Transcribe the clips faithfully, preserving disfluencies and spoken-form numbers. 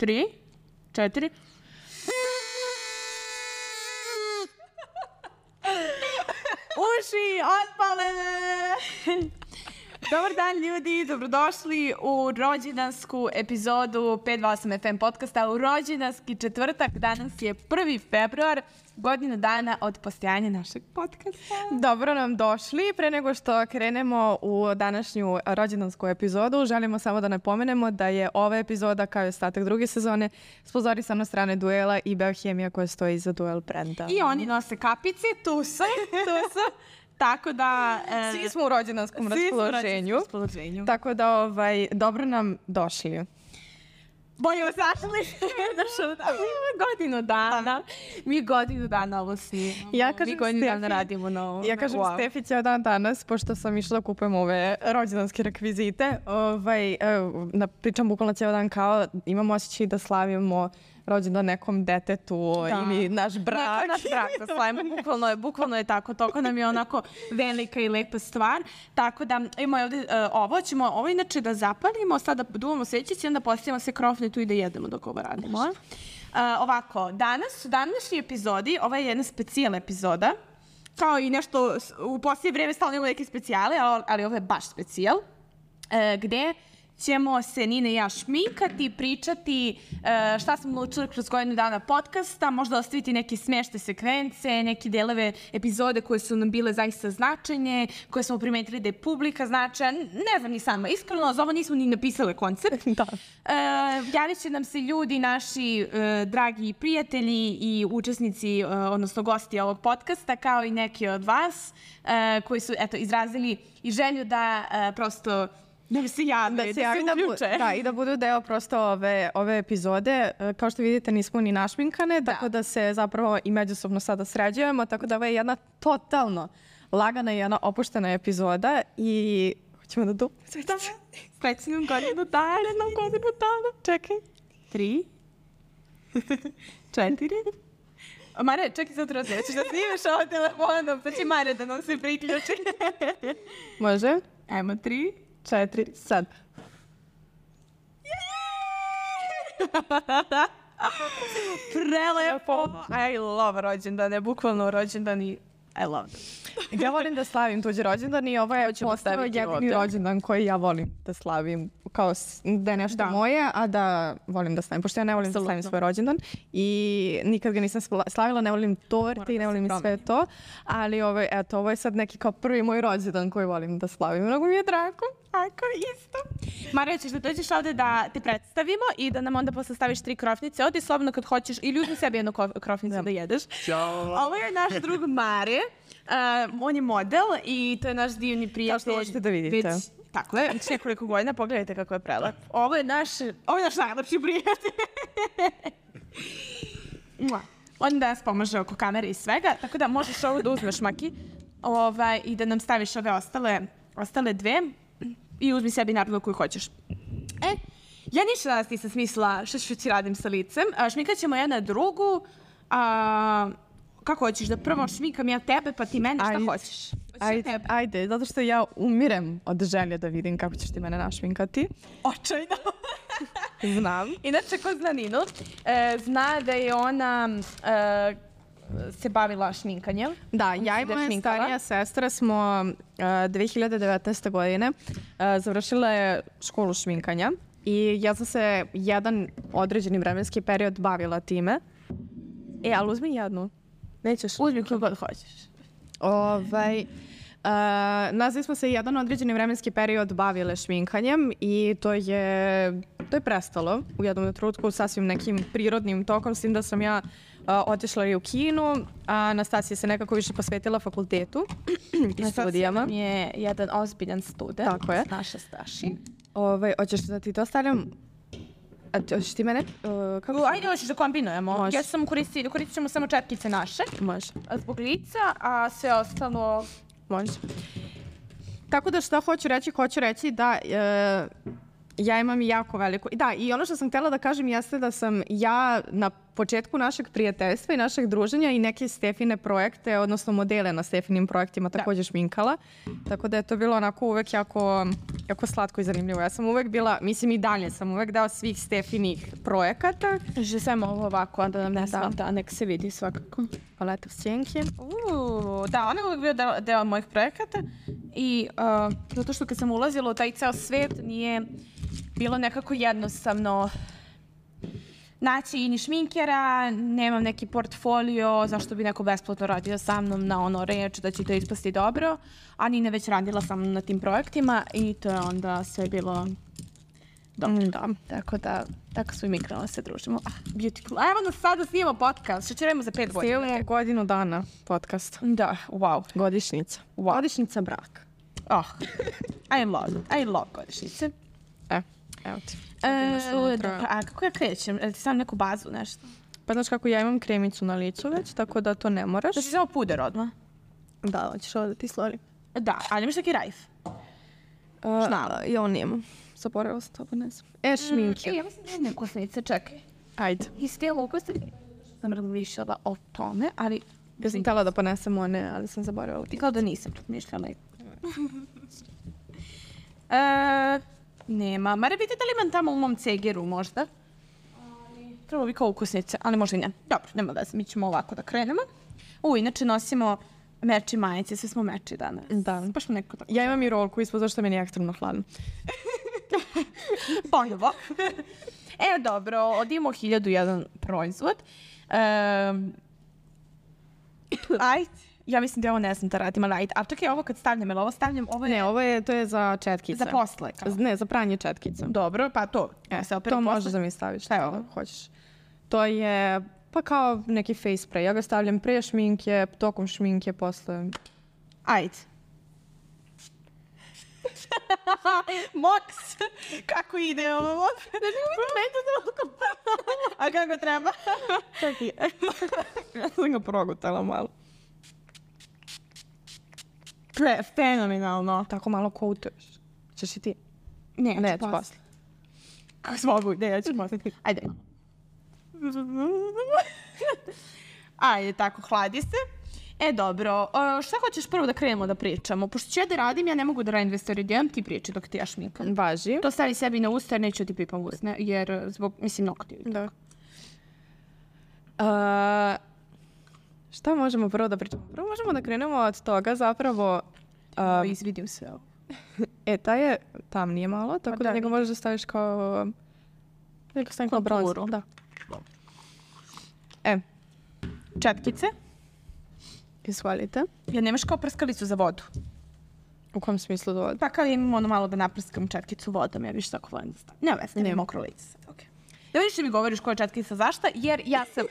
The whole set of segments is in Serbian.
tri, četiri. Uši otpale! Dobar dan ljudi, dobrodošli u rođendansku epizodu pet dva osam F M podcasta, u rođendanski četvrtak. Danas je prvi februar, godinu dana od postojanja našeg podcasta. Dobro nam došli. Pre nego što krenemo u današnju rođendansku epizodu, želimo samo da napomenemo da je ova epizoda, kao i ostatak druge sezone, sponzorisana od strane Duela i Biohemija koja stoji iza Duel brenda. I oni nose kapice, tu su, tu su. Tako da... E, svi smo u rođendanskom raspoloženju. raspoloženju. Tako da, ovaj, dobro nam došli. Bolje vas našli. Godinu dana. Mi godinu dana ovo snimamo. Ja kažem Mi godinu Stefi, dana radimo na ovo. Ja kažem wow. Stefi cijel dan danas, pošto sam išla da kupujem ove rođendanske rekvizite, ovaj, na, pričam bukvalno cijel dan kao imamo osjećaj da slavimo rođendan nekom detetu da. Ili naš brak. Naš brak da slavimo, bukvalno je, bukvalno je tako, toliko nam je onako velika i lepa stvar. Tako da imamo ovdje uh, ovo, ćemo ovo inače da zapalimo, sada duvamo svećice i onda postavimo se krofne tu i da jedemo dok ovo radimo. Uh, ovako, danas, u današnjoj epizodi, ovo je jedna specijal epizoda, kao i nešto, u posljednje vreme stalno imamo neke specijale, ali, ali ovo je baš specijal, uh, gde ćemo se Nina i ja šminkati, pričati uh, šta smo naučili kroz godinu dana podcasta, možda ostaviti neke smešne sekvence, neke delove epizode koje su nam bile zaista značajne, koje smo primetili da je publika značaja. Ne znam ni sama, iskreno, za ovo nismo ni napisale koncept. Da. Uh, javit će nam se ljudi, naši uh, dragi prijatelji i učesnici, uh, odnosno gosti ovog podcasta, kao i neki od vas, uh, koji su eto, izrazili i želju da uh, prosto da se jave, da se, da se uključe. Da, da, i da budu deo prosto ove, ove epizode. Kao što vidite, nismo ni našminkane, da. Tako da se zapravo i međusobno sada sređujemo, tako da ovo je jedna totalno lagana i jedna opuštena epizoda i hoćemo da dupimo svećice. Srećnim godinu dana, jednom godinu dana. Čekaj. Tri. Četiri. Mare, čekaj sad razlijeći, ćeš da snimaš ovo telefonom, pa će Mare da nam se priključi. Može? Ajmo, tri. Četiri, sad. Prelepo. I love rođendane, bukvalno rođendani. I love them. Ja volim da slavim tuđe rođendan i ovo je postao jedini rođendan koji ja volim da slavim. Kao da je nešto da. moje, a da volim da slavim. Pošto ja ne volim Absolutno. da slavim svoj rođendan i nikad ga nisam slavila, ne volim torte i ne volim sve to. Ali ovo, eto, ovo je sad neki kao prvi moj rođendan koji volim da slavim. Mnogo mi je drago. Tako, isto. Marija, ćeš da dođeš ovde da te predstavimo i da nam onda posle staviš tri krofnice. Odi slobodno kad hoćeš ili uzmi sebi jednu krofnicu da, da jedeš. Ćao. Ovo je naš drug Mare. Uh, on je model i to je naš divni prijatelj. Kao što hoćete da vidite. Već, tako je, već nekoliko godina. Pogledajte kako je prelep. Ovo je naš, ovo je naš najlepši prijatelj. On da nas pomaže oko kamere i svega, tako da možeš ovo da uzmeš, Maki, ovaj, i da nam staviš ove ostale, ostale dve i uzmi sebi naravno koju hoćeš. E, ja ništa danas nisam smislila što ću ti radim sa licem. A, šminkat ćemo jedna drugu. A, kako hoćeš da prvo šminkam ja tebe pa ti mene, šta ajde, hoćeš? Ajde, ajde, zato što ja umirem od želje da vidim kako ćeš ti mene našminkati. Očajno. Znam. Inače, ko zna Ninu, e, zna da je ona e, se bavila šminkanjem. Da, ja i moja starija sestra smo uh, dve hiljade devetnaeste. godine uh, završile školu šminkanja i ja sam se jedan određeni vremenski period bavila time. E, ali uzmi jednu. Nećeš? Uzmi koju god hoćeš. Ovaj, uh, nazvi smo se jedan određeni vremenski period bavile šminkanjem i to je, to je prestalo u jednom trenutku sasvim nekim prirodnim tokom, s tim da sam ja uh, otišla i u Kinu, a Anastasija se nekako više posvetila fakultetu i studijama. Je jedan ozbiljan student. Tako je. Naša Staši. Ovaj, hoćeš da ti to stavljam? A hoćeš ti mene? Uh, kako uh, ajde, hoćeš da kombinujemo. Može. Ja sam koristit, koristit ćemo samo četkice naše. Može. Zbog lica, a sve ostalo može. Tako da šta hoću reći? Hoću reći da e, Ja imam jako veliko... Da, i ono što sam htjela da kažem jeste da sam ja na početku našeg prijateljstva i našeg druženja i neke Stefine projekte, odnosno modele na Stefinim projektima također šminkala. Tako da je to bilo onako uvek jako, jako slatko i zanimljivo. Ja sam uvek bila, mislim i dalje sam uvek dao svih Stefinih projekata. Že samo ovo ovako, da nam ne smeta, nek se vidi svakako. Paleta sjenke. Uuu, da, on je uvek bio deo, deo mojih projekata i uh, zato što kad sam ulazila u taj ceo svet nije bilo nekako jednostavno naći i ni šminkera, nemam neki portfolio, zašto bi neko besplatno radio sa mnom na ono reč da će to ispasti dobro, a Nina već radila sa mnom na tim projektima i to je onda sve bilo dobro. Mm, da. Tako da, tako smo i mi krenuli se družimo. Ah, beautiful. A evo nas sada snimamo podcast, što ćemo za pet godina. Snimamo godinu dana podcast. Da, wow. Godišnjica. Wow. Godišnjica braka. Oh, I love it. I love godišnjice. E, evo ti. E, dobro, a kako ja krećem? Jel ti sam neku bazu, nešto? Pa znaš kako ja imam kremicu na licu već, tako da to ne moraš. Znači samo puder odmah? Da, hoćeš ovo da ti slorim? Da, ali imaš neki rajf? Uh, Šnala. Ja on nemam. Zaboravila sam to, pa ne znam. E, šminke. Mm, e, ja mislim da je neke kosnice, čekaj. Ajde. I stijelo ukosnice. Sam razmišljala o tome, ali... Ja sam htjela da ponesem one, ali sam zaboravila. I kao da nisam razmišljala. e, nema. Mare, vidite da li imam tamo u mom cegeru možda? Trebalo bi kao ukusnice, ali možda i ne. Dobro, nema da se, mi ćemo ovako da krenemo. U, inače nosimo meči majice, sve smo meči danas. Da. Baš smo neko tako. Ja imam i rolku ispod, zašto meni je ekstremno hladno. Ponovo. Evo dobro, odimo hiljadu jedan proizvod. Um, ajde. Ja mislim da ovo ne znam da radim, ali ajde. A čekaj, ovo kad stavljam, ili ovo stavljam, ovo je... Ne, ovo je, to je za četkice. Za posle. Kao. Ne, za pranje četkica. Dobro, pa to. E, se to možeš da mi staviš. Šta je ovo? Hoćeš. To je, pa kao neki face spray. Ja ga stavljam pre šminke, tokom šminke, posle... Ajde. Moks! Kako ide ovo? A kako treba? Čekaj. Ja sam ga progutala malo. Pre, fenomenalno. Tako malo koutuješ. Češ i ti? Ne, ne, ću posle. Kako smo mogu? Ne, ja ću posle. Ajde. Ajde, tako, hladi se. E, dobro. Šta hoćeš prvo da krenemo da pričamo? Pošto ću ja da radim, ja ne mogu da radim dve stvari odjednom, ti priči dok ti ja šminkam. Važi. To stavi sebi na usta jer neću ti pipam usne, jer zbog, mislim, nokti. Da. Uh, šta možemo prvo da pričamo? Prvo možemo da krenemo od toga zapravo... Uh, Izvidim sve ovo. E, taj je tamnije malo, tako da, da njega možeš da staviš kao... Neko stavim kao bronz. Da. E, četkice. Izvolite. Ja nemaš kao prskalicu za vodu? U kom smislu za vodu? Pa kao imam ono malo da naprskam četkicu vodom, ja više tako volim da stavim. Ne veze, nema mokro lice sad, okej. Da vidiš da mi govoriš koja je četkica zašta, jer ja sam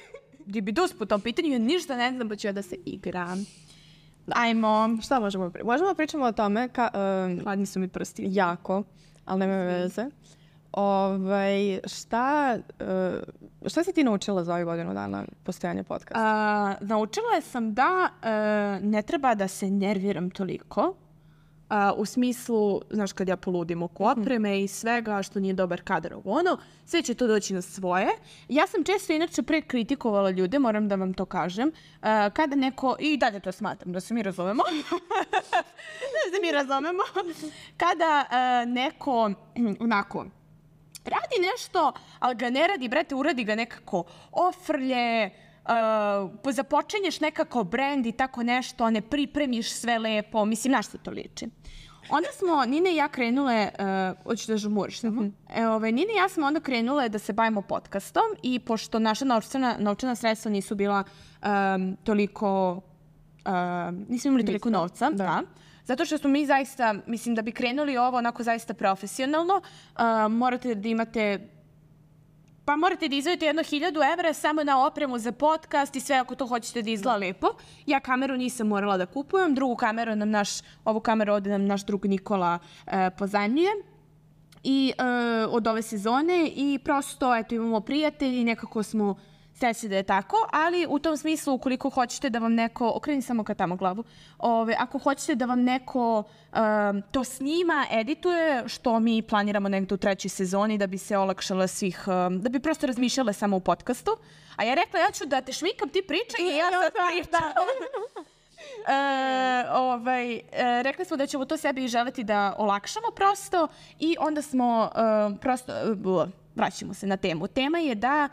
dibidus po tom pitanju, ja ništa ne znam, pa ću ja da se igram. Ajmo. Šta možemo pričati? Možemo da pričamo o tome, ka, um, hladni su mi prsti. Jako, ali nema veze. Ovaj, šta, uh, šta si ti naučila za ovih godinu dana postojanja podcasta? Uh, naučila sam da uh, ne treba da se nerviram toliko. Uh, u smislu, znaš, kad ja poludim oko opreme mm. i svega što nije dobar kadar ovo ono, sve će to doći na svoje. Ja sam često inače pre kritikovala ljude, moram da vam to kažem. Uh, kada neko, i dalje to smatram, da se mi razumemo. da se mi razumemo. Kada uh, neko, onako, radi nešto, ali ga ne radi, brate, uradi ga nekako ofrlje, uh, započenješ nekako brand i tako nešto, ne pripremiš sve lepo, mislim, na što to liči. Onda smo, Nina i ja krenule, uh, hoćeš da žumuriš samo, mm-hmm. e, ove, Nina i ja smo onda krenule da se bavimo podcastom i pošto naša novčana, novčana sredstva nisu bila um, toliko, uh, nismo imali toliko novca, da. da. Zato što smo mi zaista, mislim da bi krenuli ovo onako zaista profesionalno, uh, morate da imate, pa morate da izvojite jedno hiljadu evra samo na opremu za podcast i sve ako to hoćete da izgleda lepo. Ja kameru nisam morala da kupujem, drugu kameru nam naš, ovu kameru ovdje nam naš drug Nikola uh, pozajmljuje. I uh, od ove sezone i prosto, eto, imamo prijatelji i nekako smo Sveći da je tako, ali u tom smislu ukoliko hoćete da vam neko, okreni samo ka tamo glavu, ove, ako hoćete da vam neko um, to snima, edituje, što mi planiramo negde u trećoj sezoni da bi se olakšala svih, um, da bi prosto razmišljale samo u podcastu. A ja rekla, ja ću da te šminkam, ti pričaj i ja sad pričam. E, ovaj, e, rekli smo da ćemo to sebi želeti da olakšamo prosto i onda smo e, prosto, uh, vraćamo se na temu. Tema je da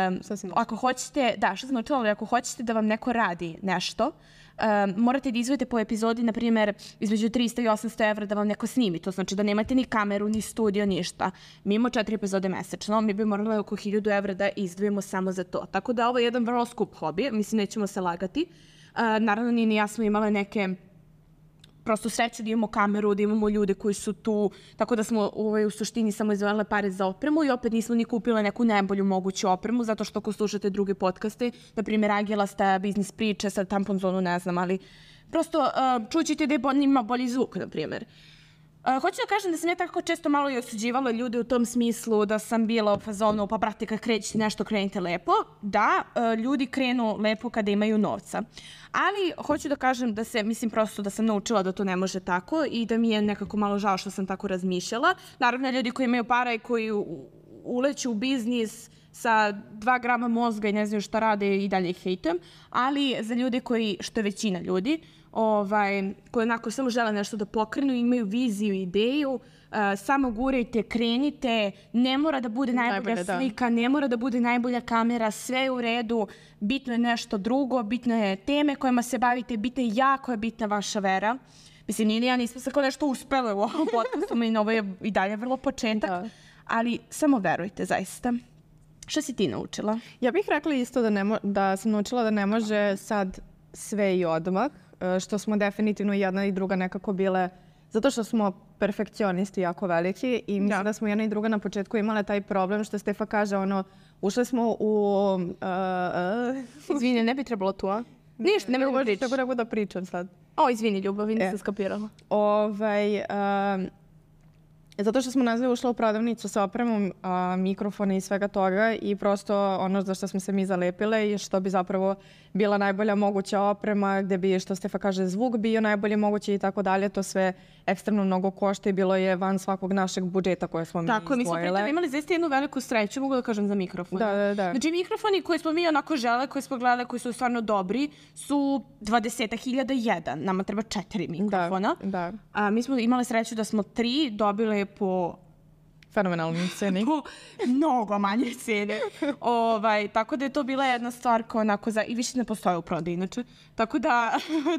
Um, ako hoćete, da, što sam naučila, ali ako hoćete da vam neko radi nešto, um, morate da izvojite po epizodi, na primjer, između trista i osamsto evra da vam neko snimi. To znači da nemate ni kameru, ni studio, ništa. Mi imamo četiri epizode mesečno, mi bi morali oko hiljadu evra da izdvojimo samo za to. Tako da ovo je jedan vrlo skup hobi, mislim, nećemo se lagati. Uh, naravno, ni ni ja smo imale neke prosto sreće da imamo kameru, da imamo ljude koji su tu, tako da smo ovaj, u suštini samo izdvojile pare za opremu i opet nismo ni kupile neku najbolju moguću opremu, zato što ako slušate druge podcaste, na primjer Angela sta biznis priče, sad Tampon Zonu ne znam, ali prosto uh, čućete da je bo, ima bolji zvuk, na primjer. Uh, hoću da kažem da sam ja tako često malo i osuđivala ljude u tom smislu da sam bila u fazonu, pa brate, kad krećete nešto, krenite lepo. Da, uh, ljudi krenu lepo kada imaju novca. Ali hoću da kažem da se, mislim prosto da sam naučila da to ne može tako i da mi je nekako malo žao što sam tako razmišljala. Naravno, ljudi koji imaju para i koji u, uleću u biznis sa dva grama mozga i ne znaju šta rade i dalje ih hejtujem, ali za ljude koji, što je većina ljudi, ovaj, koji onako samo žele nešto da pokrenu, imaju viziju i ideju, uh, samo gurajte, krenite, ne mora da bude najbolja Najbolje, slika, da. ne mora da bude najbolja kamera, sve je u redu, bitno je nešto drugo, bitno je teme kojima se bavite, bitno je jako je bitna vaša vera. Mislim, ni ja nismo se kao nešto uspele u ovom podcastu, i ovo je i dalje vrlo početak, da. ali samo verujte, zaista. Šta si ti naučila? Ja bih rekla isto da, ne mo- da sam naučila da ne može sad sve i odmah, što smo definitivno jedna i druga nekako bile, zato što smo perfekcionisti jako veliki i mislim da, da smo jedna i druga na početku imale taj problem što Stefa kaže, ono, ušle smo u... Uh, uh, izvini, ne bi trebalo tu, a? Ništa, ne mogu pričati. Tako da da pričam sad. O, izvini, Ljubavi, nisam e. skapirala. Ovaj... Uh, Zato što smo nazve ušla u prodavnicu sa opremom, a, mikrofona i svega toga i prosto ono za što smo se mi zalepile i što bi zapravo bila najbolja moguća oprema, gde bi, što Stefa kaže, zvuk bio najbolje moguće i tako dalje, to sve ekstremno mnogo košta i bilo je van svakog našeg budžeta koje smo mi izdvojile. Tako, mi smo pritom imali zaista jednu veliku sreću, mogu da kažem, za mikrofon. Da, da, da. Znači, mikrofoni koje smo mi onako žele, koje smo gledali, koji su stvarno dobri, su dvadeset hiljada jedan. Nama treba četiri mikrofona. Da, da. A, mi smo imali sreću da smo tri dobile po fenomenalnoj ceni. Po mnogo manje cene. ovaj, tako da je to bila jedna stvar koja onako za... I više ne postoje u prodaju, inače. Tako da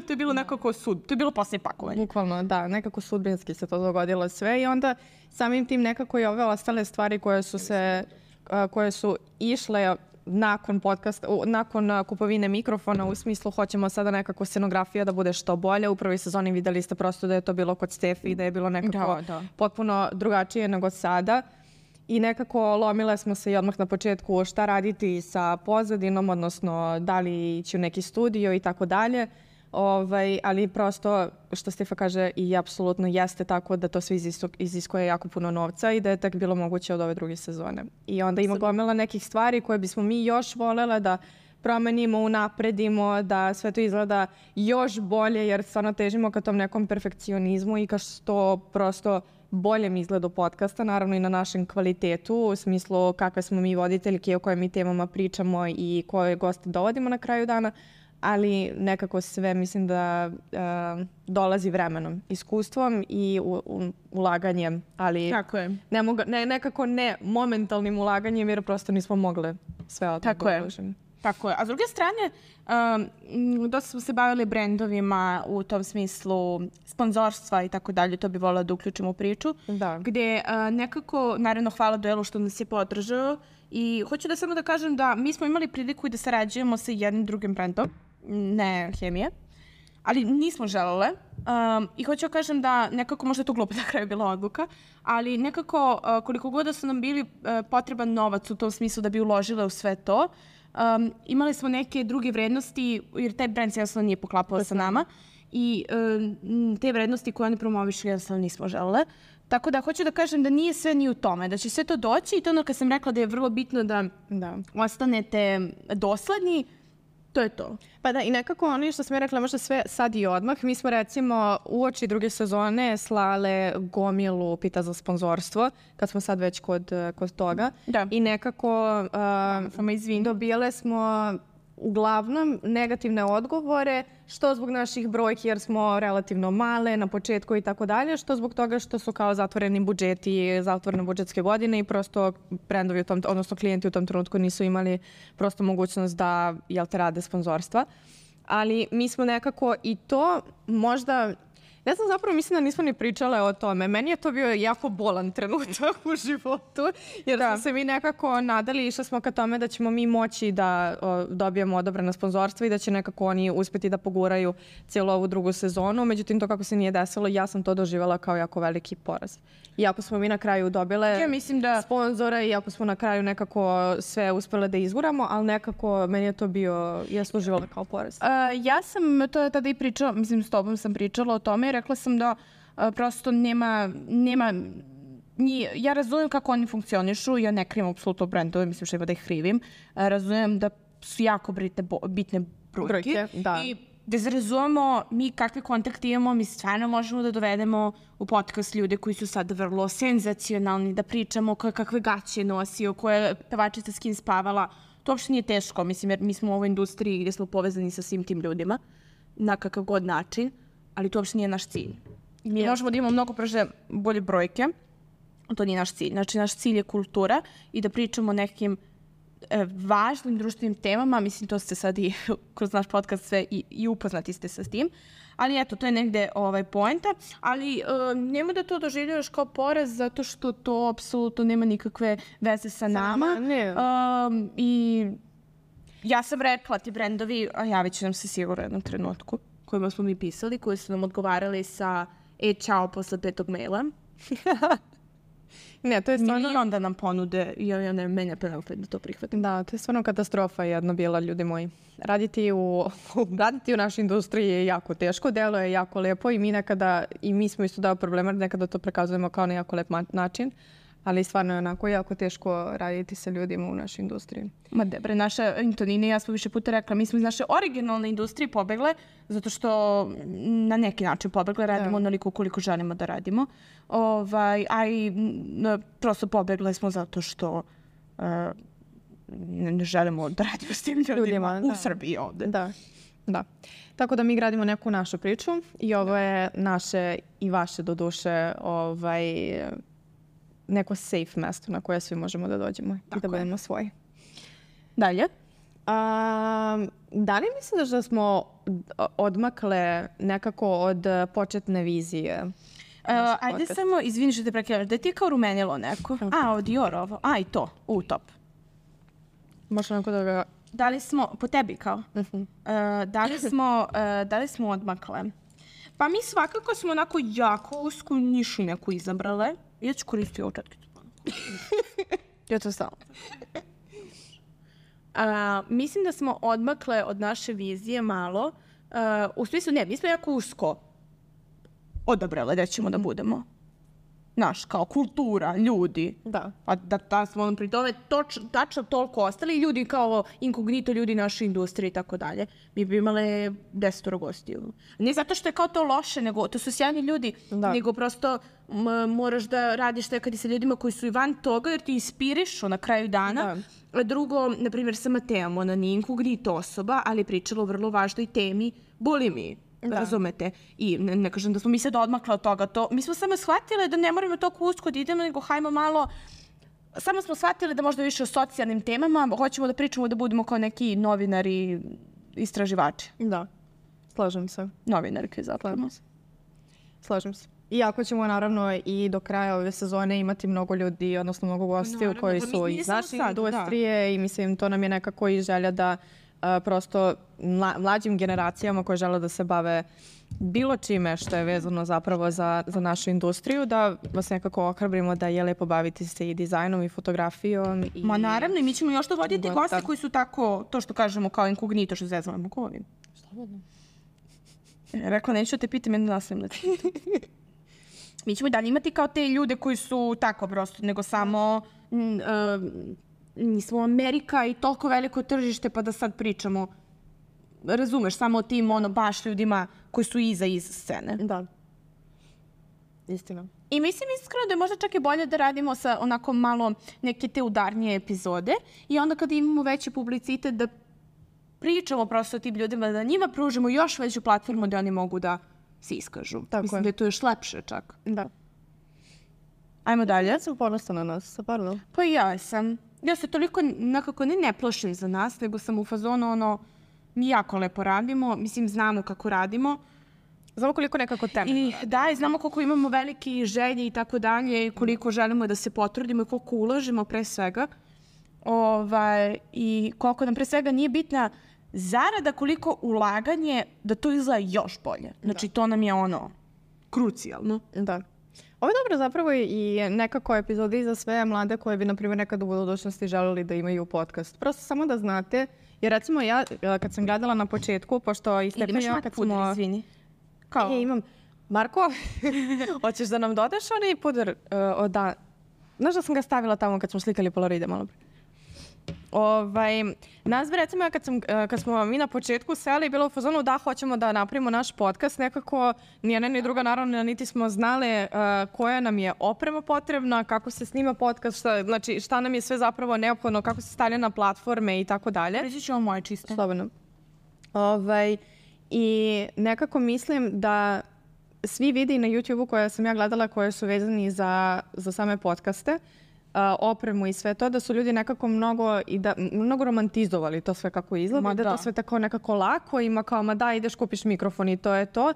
to je bilo nekako sud. To je bilo posle pakovanja. Bukvalno, da. Nekako sudbinski se to dogodilo sve i onda samim tim nekako i ove ostale stvari koje su se... koje su išle nakon podcasta, nakon kupovine mikrofona, u smislu hoćemo sada nekako scenografija da bude što bolje. U prvoj sezoni videli ste prosto da je to bilo kod Stefi, da je bilo nekako da, da. potpuno drugačije nego sada. I nekako lomile smo se i odmah na početku šta raditi sa pozadinom, odnosno da li ići u neki studio i tako dalje. Ovaj, ali prosto, što Stefa kaže, i apsolutno jeste tako da to sve iziskuje jako puno novca i da je tek bilo moguće od ove druge sezone. I onda ima gomila nekih stvari koje bismo mi još voljela da promenimo, unapredimo, da sve to izgleda još bolje, jer stvarno težimo ka tom nekom perfekcionizmu i ka što prosto boljem izgledu podcasta, naravno i na našem kvalitetu, u smislu kakve smo mi voditeljke, o kojim mi temama pričamo i koje goste dovodimo na kraju dana. Ali nekako sve mislim da uh, dolazi vremenom, iskustvom i u, u, ulaganjem, ali Tako je. Ne moga, ne, nekako ne momentalnim ulaganjem jer prosto nismo mogle sve od Tako je. Tako je. A s druge strane, um, dosta smo se bavili brendovima u tom smislu sponzorstva i tako dalje, to bi volila da uključimo u priču. Da. Gde uh, nekako, naravno hvala Duelu što nas je podržao i hoću da samo da kažem da mi smo imali priliku i da sarađujemo sa jednim drugim brendom, ne Hemije, ali nismo želele. Um, I hoću da kažem da nekako, možda je to glupo na kraju bila odluka, ali nekako uh, koliko god da su nam bili uh, potreban novac u tom smislu da bi uložile u sve to, um, imali smo neke druge vrednosti, jer taj brend se jednostavno nije poklapao sa nama i um, te vrednosti koje oni promovišu jednostavno nismo želele. Tako da hoću da kažem da nije sve ni u tome, da će sve to doći i to ono kad sam rekla da je vrlo bitno da, da. ostanete dosledni, to je to. Pa da, i nekako oni što sam je rekla, možda sve sad i odmah. Mi smo recimo uoči druge sezone slale gomilu pita za sponzorstvo, kad smo sad već kod, kod toga. Da. I nekako uh, Samo izvini. dobijale smo uglavnom negativne odgovore, što zbog naših brojki jer smo relativno male na početku i tako dalje, što zbog toga što su kao zatvoreni budžeti, zatvorene budžetske godine i prosto brendovi u tom, odnosno klijenti u tom trenutku nisu imali prosto mogućnost da, jel te, rade sponzorstva. Ali mi smo nekako i to možda, ne znam, zapravo mislim da nismo ni pričale o tome. Meni je to bio jako bolan trenutak u životu, jer da. smo se mi nekako nadali i išli smo ka tome da ćemo mi moći da o, dobijemo odobrena sponzorstva i da će nekako oni uspjeti da poguraju cijelu ovu drugu sezonu. Međutim, to kako se nije desilo, ja sam to doživjela kao jako veliki poraz. Iako smo mi na kraju dobile ja mislim da... sponzore, iako smo na kraju nekako sve uspjele da izguramo, ali nekako meni je to bio, ja sam doživjela kao poraz. Uh, ja sam to tada i pričala, mislim s tobom sam pričala o tome i rekla sam da uh, prosto nema, nema nije, ja razumijem kako oni funkcionišu, ja ne krivim apsolutno brendove, mislim što da ih krivim. Uh, razumijem da su jako bitne, bitne brojke. brojke da. I da razumemo mi kakve kontakte imamo, mi stvarno možemo da dovedemo u podcast ljude koji su sad vrlo senzacionalni, da pričamo koje kakve gaće nosio, koje pevačica s kim spavala. To uopšte nije teško, mislim, jer mi smo u ovoj industriji gdje smo povezani sa svim tim ljudima na kakav god način, ali to uopšte nije naš cilj. Mi yes. možemo da imamo mnogo brže bolje brojke, to nije naš cilj. Znači, naš cilj je kultura i da pričamo o nekim e, važnim društvenim temama. Mislim, to ste sad i kroz naš podcast sve i, i upoznati ste sa tim. Ali eto, to je negde ovaj, poenta. Ali e, nema da to doživljavaš kao poraz zato što to apsolutno nema nikakve veze sa nama. Ne. Um, I ja sam rekla ti brendovi, a javit će nam se sigurno u jednom trenutku kojima smo mi pisali, koji su nam odgovarali sa e, čao posle petog maila. Ne, to je stvarno... I onda nam ponude, i ja ne menja penalpet da to prihvatim. Da, to je stvarno katastrofa jedna bila, ljudi moji. Raditi u, raditi u našoj industriji je jako teško, delo je jako lepo i mi nekada, i mi smo isto dao problema, nekada to prikazujemo kao na jako lep način, ali stvarno je onako jako teško raditi sa ljudima u našoj industriji. Ma debre, naša Antonina i ja smo više puta rekla, mi smo iz naše originalne industrije pobegle, zato što na neki način pobegle, radimo onoliko koliko želimo da radimo. Ovaj, a i n, prosto pobegle smo zato što uh, ne želimo da radimo s tim ljudima, ljudima u da. Srbiji ovde. Da, da. Tako da mi gradimo neku našu priču i ovo je naše i vaše doduše ovaj, neko safe mesto na koje svi možemo da dođemo. Tako i da budemo svoji. Dalje? A, da li misliš da smo odmakle nekako od početne vizije? Uh, ajde podcast. Samo, izvini što te prekrevaš, da je ti kao rumenilo neko? Okay. A, od Dior ovo. A, i to. U, top. Možda neko da ga... Da li smo, po tebi kao? Uh-huh. Uh, da, li smo, uh, da li smo odmakle? Pa mi svakako smo onako jako usku nišu neku izabrale. Ja ću koristiti ovu četkicu. Ja to stavim. Uh, mislim da smo odmakle od naše vizije malo. Uh, u smislu, ne, mi smo jako usko odabrale da ćemo mm-hmm. da budemo. Naš, kao kultura, ljudi. Da. Pa da, da smo pri tome toč, tačno toliko ostali ljudi kao inkognito ljudi naše industrije i tako dalje. Mi bi imale desetoro gostiju. Ne zato što je kao to loše, nego to su sjajni ljudi, da. Nego prosto m, moraš da radiš tekadi sa ljudima koji su i van toga jer ti inspirišu na kraju dana. Da. Drugo, na primjer, sa Mateom, ona nije inkognito osoba, ali je pričala o vrlo važnoj temi bulimiji. Da. Razumete? I ne, ne kažem da smo mi sad odmakle od toga. To, mi smo samo shvatile da ne moramo toliko usko da idemo, nego hajmo malo... Samo smo shvatile da možda više o socijalnim temama, hoćemo da pričamo da budemo kao neki novinari, istraživači. Da, slažem se. Novinarke zapravo. Slažem se. Iako ćemo naravno i do kraja ove sezone imati mnogo ljudi, odnosno mnogo gostiju no, koji su iz naše industrije da. I mislim to nam je nekako i želja da Uh, prosto mla, mlađim generacijama koje žele da se bave bilo čime što je vezano zapravo za, za našu industriju, da vas nekako ohrabrimo da je lepo baviti se i dizajnom i fotografijom. I... Ma naravno, i mi ćemo još dovoditi goste koji su tako, to što kažemo kao inkognito, što zezvamo. Ko ovim? Slobodno. Rekla, neću te pitam, jedno nastavim da ti pitam. mi ćemo i dalje imati kao te ljude koji su tako prosto, nego samo m, uh, nismo Amerika i toliko veliko tržište pa da sad pričamo, razumeš, samo o tim ono baš ljudima koji su iza iza scene. Da. Istina. I mislim iskreno da je možda čak i bolje da radimo sa onako malo neke te udarnije epizode i onda kad imamo veći publicitet da pričamo prosto o tim ljudima, da njima pružimo još veću platformu da oni mogu da se iskažu. Tako mislim je. da je to još lepše čak. Da. Ajmo dalje. Ja sam ponosna na nas, pardon. Pa i ja sam. Ja se toliko nekako ne, ne plašim za nas, nego sam u fazonu ono, mi jako lepo radimo, mislim znamo kako radimo. Znamo koliko nekako teme. I da, i znamo koliko imamo velike želje i tako dalje, i koliko želimo da se potrudimo i koliko ulažemo pre svega. Ovaj, i koliko nam pre svega nije bitna zarada, koliko ulaganje da to izgleda još bolje. Znači, to nam je ono, krucijalno. Da. Ovo je dobro zapravo i nekako epizodi za sve mlade koje bi, na primjer, nekad u budućnosti želeli da imaju podcast. Prosto samo da znate, jer recimo ja, kad sam gledala na početku, pošto i Stefan ja kad puder, smo... izvini. Kao? E, imam. Marko, hoćeš da nam dodaš onaj puder? Uh, da. Znaš da sam ga stavila tamo kad smo slikali Polaroide malo pre? Ovaj, nas bi recimo ja kad, sam, kad smo mi na početku seli bilo u fazonu da hoćemo da napravimo naš podcast, nekako ni jedna ni druga naravno niti smo znale uh, koja nam je oprema potrebna, kako se snima podcast, šta, znači šta nam je sve zapravo neophodno, kako se stavlja na platforme i tako dalje. Reći ću vam moje čiste. Slobodno. Ovaj, i nekako mislim da svi videi na YouTube-u koje sam ja gledala koje su vezani za, za same podcaste, Uh, opremu i sve to, da su ljudi nekako mnogo, i da, mnogo romantizovali to sve kako izgleda, Ma da, da to sve tako nekako lako, ima kao, ma da, ideš kupiš mikrofon i to je to.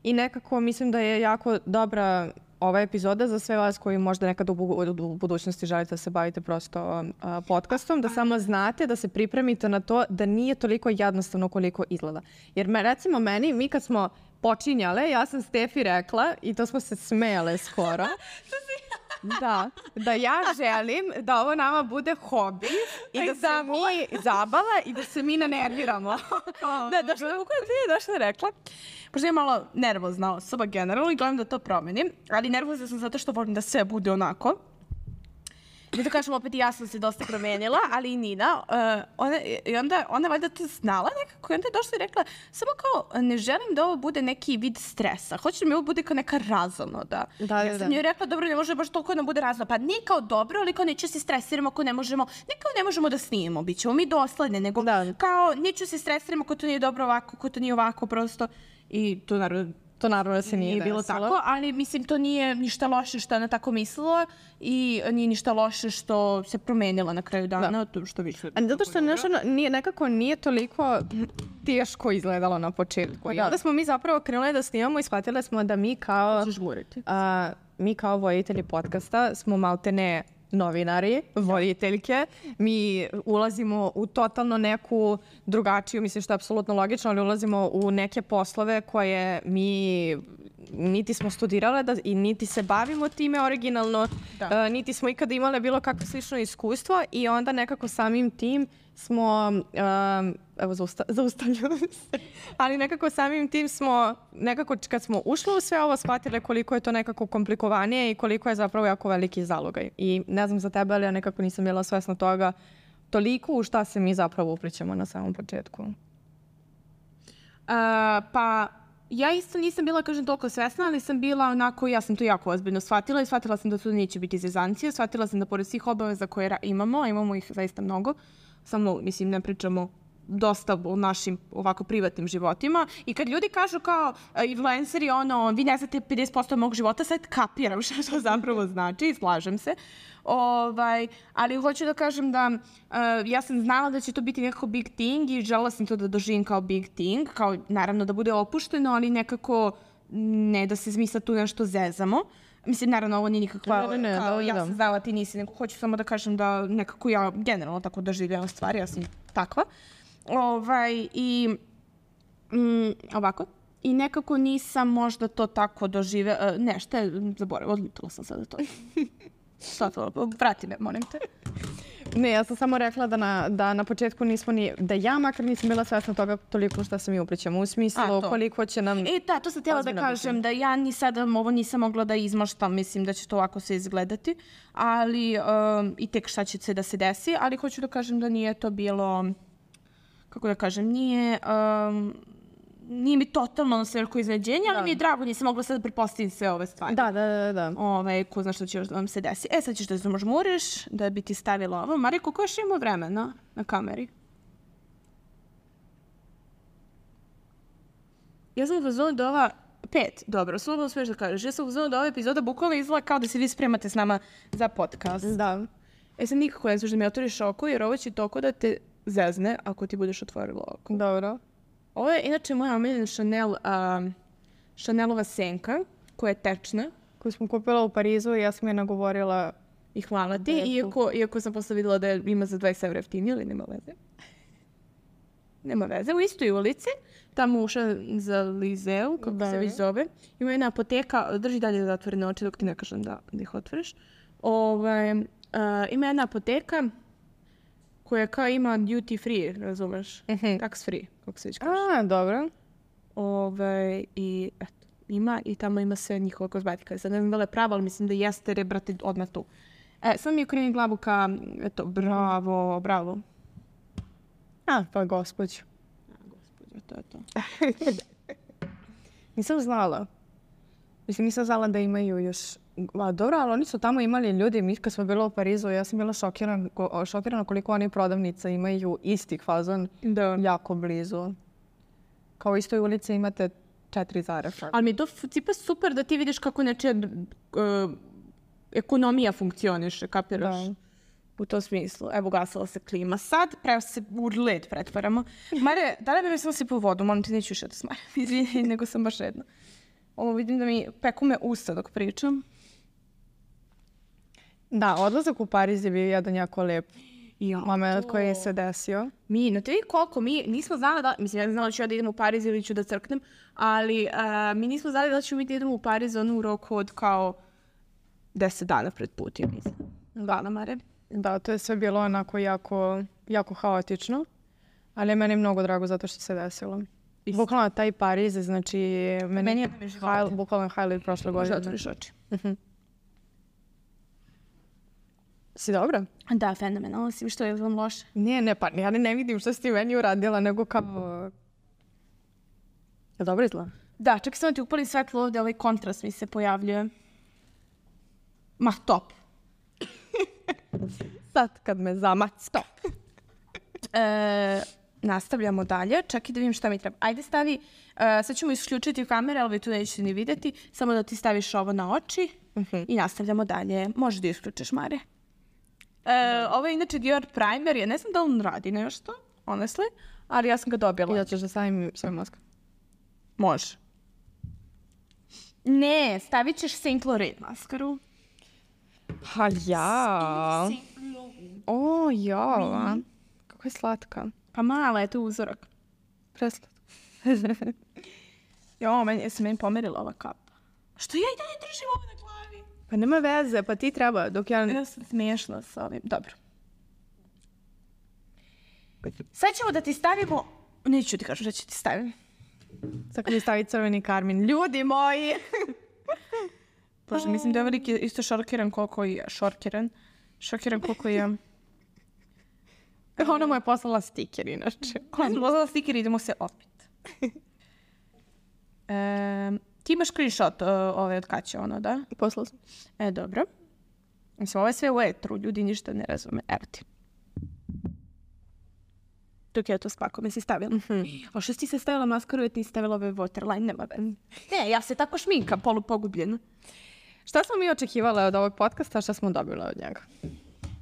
I nekako mislim da je jako dobra ova epizoda za sve vas koji možda nekad u, bu u budućnosti želite da se bavite prosto uh, podcastom, da samo znate, da se pripremite na to da nije toliko jednostavno koliko izgleda. Jer me, recimo meni, mi kad smo počinjale, ja sam Stefi rekla, i to smo se smejale skoro, da, da ja želim da ovo nama bude hobi i da se mi zabava i da se mi nanerviramo. Da, došla, kako ti je došla rekla? Pošto je malo nervozna osoba generalno i gledam da to promenim, ali nervozna sam zato što volim da sve bude onako. Da to kažem, opet i ja sam se dosta promenila, ali i Nina. Uh, ona, I onda ona valjda to znala nekako i onda je došla i rekla samo kao, ne želim da ovo bude neki vid stresa. Hoću da mi ovo bude kao neka razonoda. Da, ja sam da. joj rekla, dobro, ne može baš toliko da bude razonoda. Pa nije kao dobro, ali kao neću se stresiramo ako ne možemo, ne kao ne možemo da snimimo, bit ćemo mi dosledne, nego da. Kao neću se stresiramo ako to nije dobro ovako, ako to nije ovako prosto. I to naravno To naravno da se nije, nije bilo desilo. tako, ali mislim to nije ništa loše što ona tako mislila i nije ništa loše što se promenila na kraju dana, Da. to što više. A zato što nešto nije, nekako nije toliko teško izgledalo na početku. I onda smo mi zapravo krenuli da snimamo i shvatile smo da mi kao, a, mi kao voditelji podcasta smo maltene novinari, voditeljke. Mi ulazimo u totalno neku drugačiju, mislim što je apsolutno logično, ali ulazimo u neke poslove koje mi niti smo studirale da, i niti se bavimo time originalno, Da. uh, niti smo ikada imale bilo kakvo slično iskustvo i onda nekako samim tim smo, um, evo zausta, zaustavljam se, ali nekako samim tim smo, nekako kad smo ušli u sve ovo, shvatile koliko je to nekako komplikovanije i koliko je zapravo jako veliki zalogaj. I ne znam za tebe, ali ja nekako nisam bila svesna toga toliko u šta se mi zapravo uplićemo na samom početku. Uh, pa ja isto nisam bila, kažem, toliko svesna, ali sam bila onako, ja sam to jako ozbiljno shvatila i shvatila sam da to neće biti zezancije, shvatila sam da pored svih obaveza koje ra- imamo, a imamo ih zaista mnogo, samo, mislim, ne pričamo dosta o našim ovako privatnim životima i kad ljudi kažu kao uh, influenceri, ono, vi ne znate pedeset posto mog života, sad kapiram šta to zapravo znači i slažem se. Ovaj, ali hoću da kažem da uh, ja sam znala da će to biti nekako big thing i želela sam to da doživim kao big thing, kao naravno da bude opušteno, ali nekako ne da se zmisla tu nešto zezamo. Mislim, naravno, ovo nije nikakva, Ne, ne, ne, kao da, ja da. sam znala, ti nisi, nego hoću samo da kažem da nekako ja generalno tako doživljavam stvari, ja sam takva. Ovaj, i mm, ovako. I nekako nisam možda to tako doživela, uh, ne, šta je, zaboravila, odlutila sam sada to. Što to? Vrati me, molim te. Ne, ja sam samo rekla da na, da na početku nismo ni, da ja makar nisam bila svesna toga toliko što se mi uplićemo. U smislu koliko će nam... E, da, to sam htjela da kažem, da ja ni sada ovo nisam mogla da izmaštam, mislim da će to ovako se izgledati, ali um, i tek šta će se da se desi, ali hoću da kažem da nije to bilo, kako da kažem, nije... Um, nije mi totalno na sve veliko iznenađenje, ali mi je drago, nisam mogla sad da pretpostavim sve ove stvari. Da, da, da, da. Ove, ko zna što će još da vam se desi. E, sad ćeš da zamožmuriš, da bi ti stavila ovo. Marija, koliko još ima vremena na kameri? Ja sam u fazonu da ova... Pet, dobro, slobodno smiješ da kažeš. Ja sam u fazonu da ova epizoda bukvalno izgleda kao da se vi spremate s nama za podcast. Da. E, sad nikako ne smiješ da mi otvoriš oko, jer ovo će toko da te zezne ako ti budeš otvorila oko. Dobro. Ovo je inače moja omiljena Chanel, uh, Chanelova senka, koja je tečna. Koju smo kupila u Parizu i ja sam je nagovorila. I hvala ti, iako, iako sam posle videla da ima za dvadeset evra jeftinije, ali nema veze. Nema veze. U istoj ulici, tamo uša za Lizeu, kako da, se već zove, ima jedna apoteka, drži dalje da otvorene oči dok ti ne kažem da, da ih otvoriš. Ove, uh, ima jedna apoteka koja kao ima duty free, razumeš? Uh-huh. Tax free, kako se već kaže. A, dobro. Ove, i eto, ima i tamo ima sve njihova kozmetika. Sad ne znam da li je pravo, ali mislim da jeste, jer je, brate, odmah tu. E, sad mi je okrenim glavu ka, eto, bravo, bravo. A, pa gospođu. A, gospođo, to je to. Nisam znala. Mislim, nisam znala da imaju još... A, dobro, ali oni su tamo imali ljudi, mi kad smo bila u Parizu, ja sam bila šokirana, šokirana koliko oni prodavnica imaju istih fazon da. Jako blizu. Kao u istoj ulici imate četiri Zara. Ali mi je to tipa super da ti vidiš kako nečija uh, ekonomija funkcioniše, kapiraš? Da. U tom smislu. Evo, gasila se klima. Sad, pravo se u led pretvaramo. Mare, da li bi mi samo si po vodu? Molim ti, neću više da smaram. Izvini, nego sam baš jedna. Ovo vidim da mi peku me usta dok pričam. Da, odlazak u Pariz je bio jedan jako lep ja, moment koji je se desio. Mi, na te vidi koliko, mi nismo znali da, mislim, ja ne znala da ću ja da idem u Pariz ili ću da crknem, ali uh, mi nismo znali da ću mi da idemo u Pariz ono u roku od kao deset dana pred put, ja mislim. Hvala, Mare. Da, to je sve bilo onako jako, jako haotično, ali je meni mnogo drago zato što se desilo. Isto. Bukvalno taj Pariz, znači, meni, meni je high, bukvalno highlight prošle godine. Možda otvoriš oči. Uh-huh. Si dobra? Da, fenomenalno si. Što je vam loše? Nije, ne, pa ja ne vidim što si ti meni uradila, nego kao... Je dobro izgleda? Da, čak sam ti upalim svetlo ovdje, ovaj kontrast mi se pojavljuje. Ma, top. Sad kad me zamac, stop. e, nastavljamo dalje, čak i da vidim šta mi treba. Ajde stavi, uh, sad ćemo isključiti kamere, ali vi tu nećete ni vidjeti, samo da ti staviš ovo na oči uh-huh. i nastavljamo dalje. Možeš da isključiš, Mare. E, ovo je inače Dior primer, ja ne znam da on radi nešto, honestly, ali ja sam ga dobila. I da ćeš da stavim svoj mask? Može. Ne, stavit ćeš Saint Laurent maskaru. Ha, ja. O, ja. Mm. Kako je slatka. Pa mala je to uzorak. Preslatka. Jo, meni, jesi meni pomerila ova kapa. Što ja i dalje držim ovo na glavi? Pa nema veze, pa ti treba, dok ja... Ja sam smiješla sa ovim. Dobro. Sad ćemo da ti stavimo... Neću ti kažem da ću ti stavim. Sad mi stavi crveni karmin. Ljudi moji! Bože, mislim da je veliki isto šorkiran koliko je. Šorkiran. Šokiran koliko je. Ona mu je poslala stiker, inače. Ona mu je poslala stiker i idemo se opet. e, ti imaš screenshot uh, ove od Kaće, ono, da? Poslala sam. E, dobro. Mislim, ovo je sve u etru, ljudi ništa ne razume. Evo ti. Dok je to spako, me si stavila. Mm-hmm. A što si ti se stavila maskaru i ti stavila ove waterline, nema veze. Ne, ja se tako šminkam, polupogubljena. Šta smo mi očekivali od ovog podcasta, šta smo dobili od njega?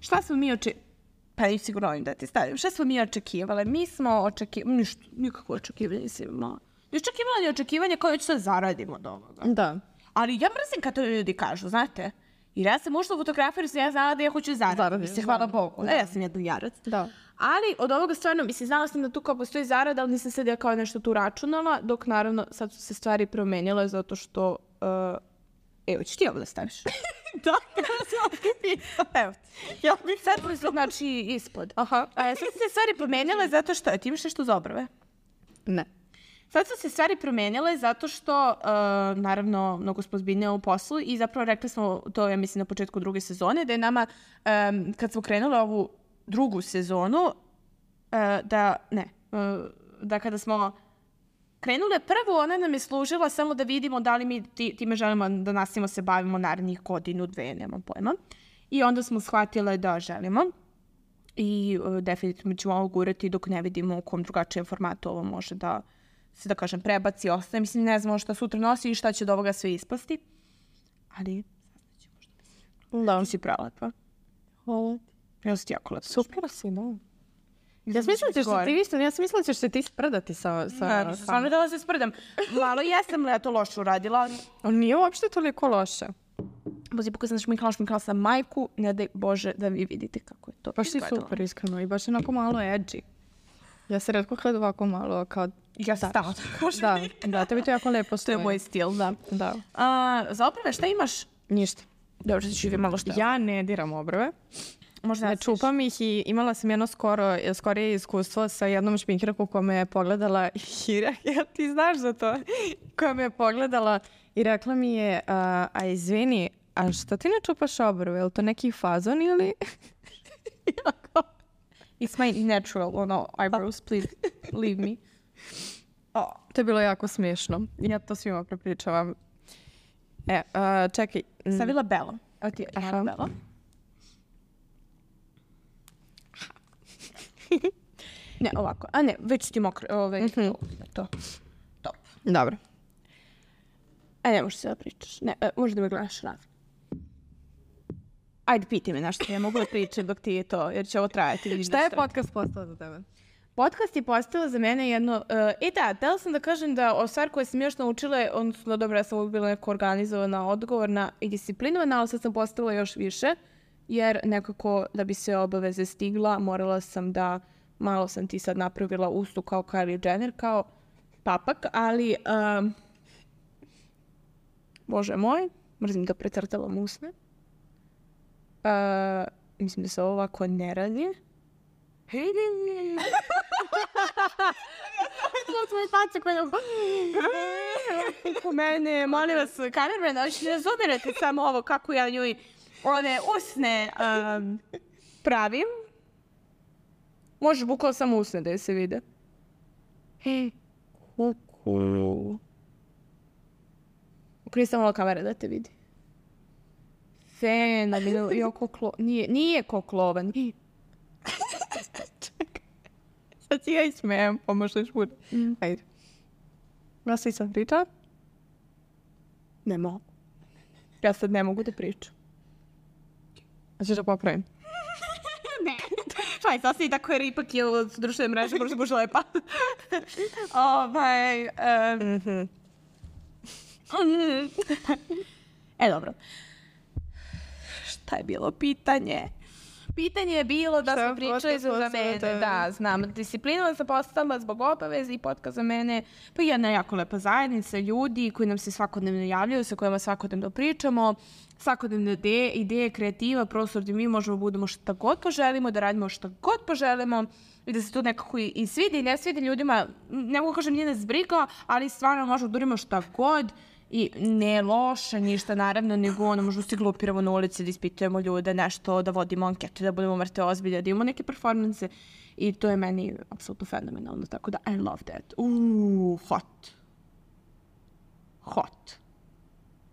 Šta smo mi očekivali? Pa i sigurno ovim da ti stavim. Šta smo mi očekivali? Mi smo očekivali... Ništa, nikakvo očekivanje si imala. Ni očekivanje, očekivanje koje ću sad zaradimo od ovoga. Da. Ali ja mrzim kad to ljudi kažu, znate? Jer ja sam ušla u fotografiju, jer ja znala da ja hoću zaraditi. Mislim, hvala Bogu. Da. Ja sam jedan jarac. Da. Ali od ovoga stvarno, mislim, znala sam da tu kao postoji zarada, ali nisam sad ja kao nešto tu računala, dok naravno sad su se stvari promenile zato što uh, Evo, ćeš ti ovo da staviš? Da, kada se ovdje pisa. Evo. Ja bih sad, znači, ispod. Aha. A sad su se stvari promenile zato što... Ti imaš nešto za obrve? Ne. Sad su se stvari promenile zato što, uh, naravno, mnogo smo zbiljne u poslu i zapravo rekli smo, to ja mislim na početku druge sezone, da je nama, um, kad smo krenuli ovu drugu sezonu, uh, da, ne, uh, da kada smo krenule prvu, ona nam je služila samo da vidimo da li mi ti, time želimo da nastavimo se bavimo narednih godinu, dve, nemam pojma. I onda smo shvatile da želimo i uh, definitivno ćemo ovo gurati dok ne vidimo u kom drugačijem formatu ovo može da se, da kažem, prebaci, ostaje. Mislim, ne znamo šta sutra nosi i šta će od ovoga sve ispasti. Ali, saznaćemo što mislim. Da. Ti si prelepa. Hvala. Ja si ti jako lepa. Super si, da. Ja sam mislila da ćeš se ti isto, ja sam mislila da ćeš se ti sprdati sa... sa Ne, stvarno da se sprdam. Malo jesam leto loše uradila, ali... On nije uopšte toliko loše. Bozi, pokaj sam šminkala, šminkala sam majku, ne daj Bože da vi vidite kako je to baš si izgledalo. super, iskreno. I baš onako malo edgy. Ja se redko gledam ovako malo kao... Ja sam stala. Da, da, tebi to jako lepo To stoje. je moj stil, da. Da. A, za oprave, šta imaš? Ništa. Dobro, ti ću vi malo šta. Ja ne diram obrve. Možda Ne čupam ih i imala sam jedno skoro, skorije iskustvo sa jednom šminkirkom koja me je pogledala i rekla, ja ti znaš za to, koja me je pogledala i rekla mi je, a, a izvini, a što ti ne čupaš obrve, je li to neki fazon ili... It's my natural, ono, eyebrows, please leave me. Oh, to je bilo jako smiješno. Ja to svima prepričavam. E, a, čekaj. Stavila Bela. Evo ti, aha, Bela. Ne, ovako. A ne, već ti mokro. Ove, mm-hmm. To. Top. Dobro. A ne, možeš se da pričaš. Ne, e, možeš da me gledaš rad. Ajde, piti me nešto. Ja mogu da pričam dok ti je to, jer će ovo trajati. Šta je podcast postao za tebe? Podcast je postao za mene jedno... Uh, e da, htjela sam da kažem da o stvar koje sam još naučila, odnosno dobro, ja sam uvijek bila neko organizovana, odgovorna i disciplinovana, ali sad sam postala još više, jer nekako da bi se obaveze stigla, morala sam da, malo sam ti sad napravila ustu kao Kylie Jenner, kao papak, ali... Um, Bože moj, mrzim da precrtavam usne. Uh, mislim da se ovo ovako ne radi. To tvoje face koje... U mene, molim vas, kamerman, ali ne razumirate samo ovo kako ja njoj one usne um, pravim. Može bukvalo samo usne da je se vide. Hej, kuku. Ukrij samo malo kamere da te vidi. Fenomenalno, jo koklo... Nije, nije koklovan. Sad si ja i smijem, pa možda još bude. Mm. Ajde. Ja si sad pričala? Ne mogu. Ja sad ne mogu da pričam. A ćeš da popravim? Ne. Pa je sasvim tako jer ipak je od društvene mreže, možda boš lepa. Ovaj... Um... Mm-hmm. E, dobro. Šta je bilo pitanje? Pitanje je bilo da smo pričali za mene. Da, znam. Disciplinovan sam postala zbog obaveze i podcast za mene. Pa jedna jako lepa zajednica, ljudi koji nam se svakodnevno javljaju, sa kojima svakodnevno pričamo, svakodnevne ideje, ideje, kreativa, prostor gdje mi možemo budemo šta god poželimo, da radimo šta god poželimo i da se to nekako i, i svidi i ne svidi ljudima. Ne mogu kažem nije nas briga, ali stvarno možemo da urimo šta god. I ne loše ništa, naravno, nego ono, možda se glupiramo na ulici, da ispitujemo ljude, nešto, da vodimo ankete, da budemo mrte ozbilje, da imamo neke performanse. I to je meni apsolutno fenomenalno, tako da I love that. Uuu, hot. Hot.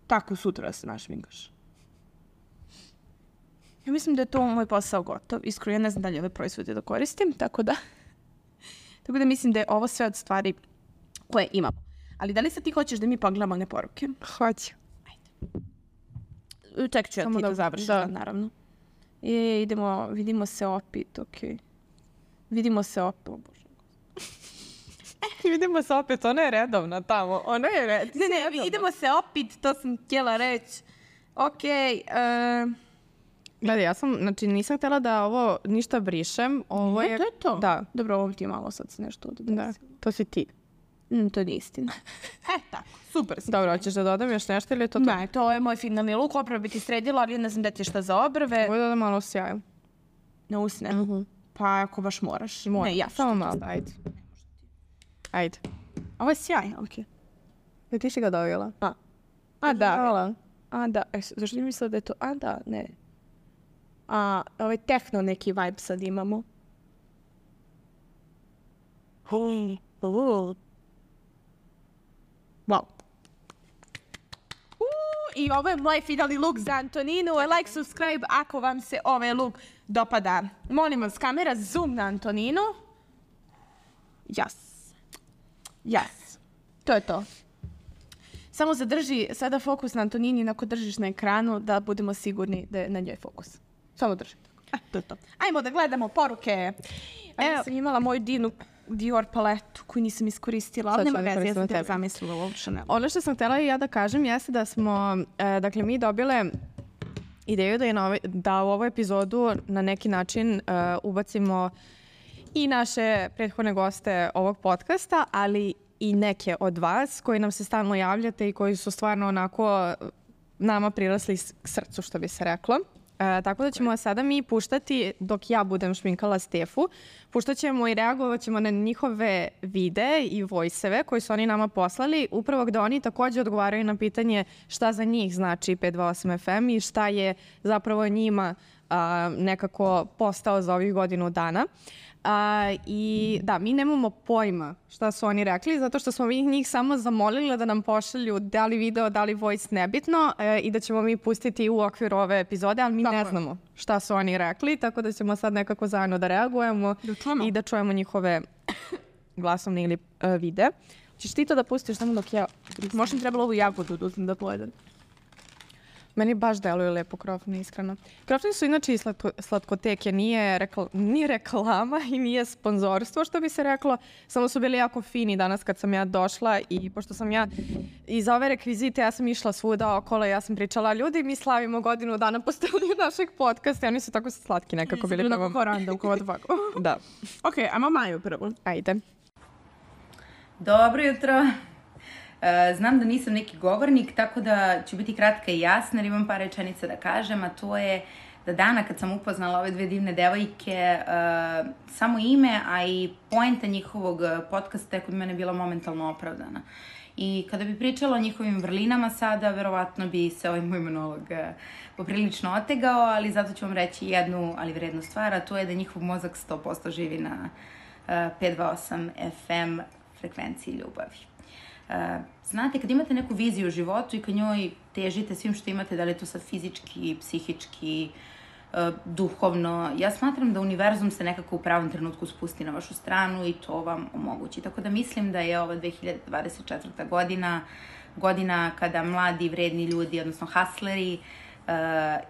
Tako sutra da se našminkaš. Ja mislim da je to moj posao gotov. Iskreno, ja ne znam da li ove proizvode da koristim, tako da... tako da mislim da je ovo sve od stvari koje imamo. Ali da li sad ti hoćeš da mi pogledamo one poruke? Hoću. Ajde. Ček ću ja ti to završiti, da. Naravno. I idemo, vidimo se opet, okej. Okay. Vidimo se opet, o Bože. Vidimo se opet, ona je redovna tamo, ona je redovna. Ne, ne, redovna. Idemo se opet, to sam htjela reći. Okej. Okay, uh... Gledaj, ja sam, znači nisam htjela da ovo ništa brišem. Ovo ne, je... to je to? Da. Dobro, ovo ti je malo sad se nešto ovdje desilo. Da, to si ti. Mm, to je istina. E, tako, super. Dobro, hoćeš da dodam još nešto ili je to to? Ne, to je moj finalni luk, opravo bi ti sredila, ali ne znam da ti je šta za obrve. Ovo je da malo sjajam. Na usne? Mhm. Pa ako baš moraš. Moram. Ne, ja. Samo malo, ajde. Ajde. Ovo je sjaj, okej. Da ti si ga dovela? A. A, da. Hvala. A, da. E, zašto mi mislila da je to? A, da, ne. A, ovaj tehno neki vibe sad imamo. Wow. Uuu, i ovo je moj finalni look za Antoninu. Like, subscribe ako vam se ovaj look dopada. Molim vas, kamera, zoom na Antoninu. Yes. Yes. To je to. Samo zadrži sada fokus na Antonini, ako držiš na ekranu, da budemo sigurni da je na njoj fokus. Samo drži tako. E, to je to. Ajmo da gledamo poruke. Evo sam imala moju Dinu Dior paletu koju nisam iskoristila, ali nema veze, ja sam te zamislila u ovom Chanel. Ono što sam htjela i ja da kažem jeste da smo, e, dakle, mi dobile ideju da, je na ovaj, da u ovu epizodu na neki način e, ubacimo i naše prethodne goste ovog podcasta, ali i neke od vas koji nam se stalno javljate i koji su stvarno onako nama prirasli k srcu, što bi se reklo. E, tako da ćemo sada mi puštati, dok ja budem šminkala Stefu, puštat ćemo i reagovat ćemo na njihove videe i voice-eve koji su oni nama poslali, upravo gde oni također odgovaraju na pitanje šta za njih znači pet dva osam F M i šta je zapravo njima a, nekako postao za ovih godinu dana. A, I da, mi nemamo pojma šta su oni rekli, zato što smo mi njih samo zamolili da nam pošalju da li video, da li voice, nebitno, e, i da ćemo mi pustiti u okviru ove epizode, ali mi tako ne znamo šta su oni rekli, tako da ćemo sad nekako zajedno da reagujemo da i da čujemo njihove glasovne ili uh, vide. Češ ti to da pustiš samo dok ja... Možda mi trebalo ovu jagodu da uzmem da pojedem. Meni baš deluju lepo krofne, iskreno. Krofne su inače i slatko, slatkoteke, nije, rekla, nije reklama i nije sponzorstvo, što bi se reklo. Samo su bili jako fini danas kad sam ja došla i pošto sam ja iz ove rekvizite, ja sam išla svuda okolo, ja sam pričala, ljudi, mi slavimo godinu dana postavljaju našeg podcasta i oni su tako slatki nekako bili. Bilo kako random, kako ovako. Da. Ok, ajmo Maju prvo. Ajde. Dobro jutro. Znam da nisam neki govornik, tako da ću biti kratka i jasna, jer imam par rečenica da kažem, a to je da dana kad sam upoznala ove dve divne devojke, uh, samo ime, a i poenta njihovog podcasta je kod mene bila momentalno opravdana. I kada bi pričala o njihovim vrlinama sada, verovatno bi se ovaj moj monolog uh, poprilično otegao, ali zato ću vam reći jednu, ali vrednu stvar, a to je da njihov mozak sto posto živi na uh, pet dva osam F M frekvenciji ljubavi. Uh, znate, kad imate neku viziju u životu i kad njoj težite svim što imate, da li je to sad fizički, psihički, uh, duhovno, ja smatram da univerzum se nekako u pravom trenutku spusti na vašu stranu i to vam omogući. Tako da mislim da je ova dve hiljade dvadeset četvrta godina, godina kada mladi, vredni ljudi, odnosno hustleri, uh,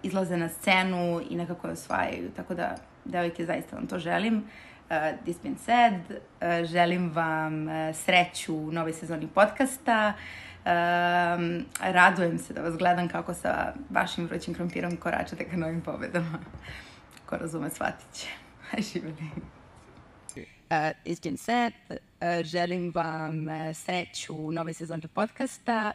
izlaze na scenu i nekako je osvajaju. Tako da, devojke, zaista vam to želim. Uh, this being said, uh, želim vam uh, sreću u novoj sezoni podcasta. Um, radujem se da vas gledam kako sa vašim vrućim krompirom koračate ka novim pobedama. Ko razume, shvatit će. Živjeli. Uh, this being said, uh, želim vam uh, sreću u novoj sezoni podcasta.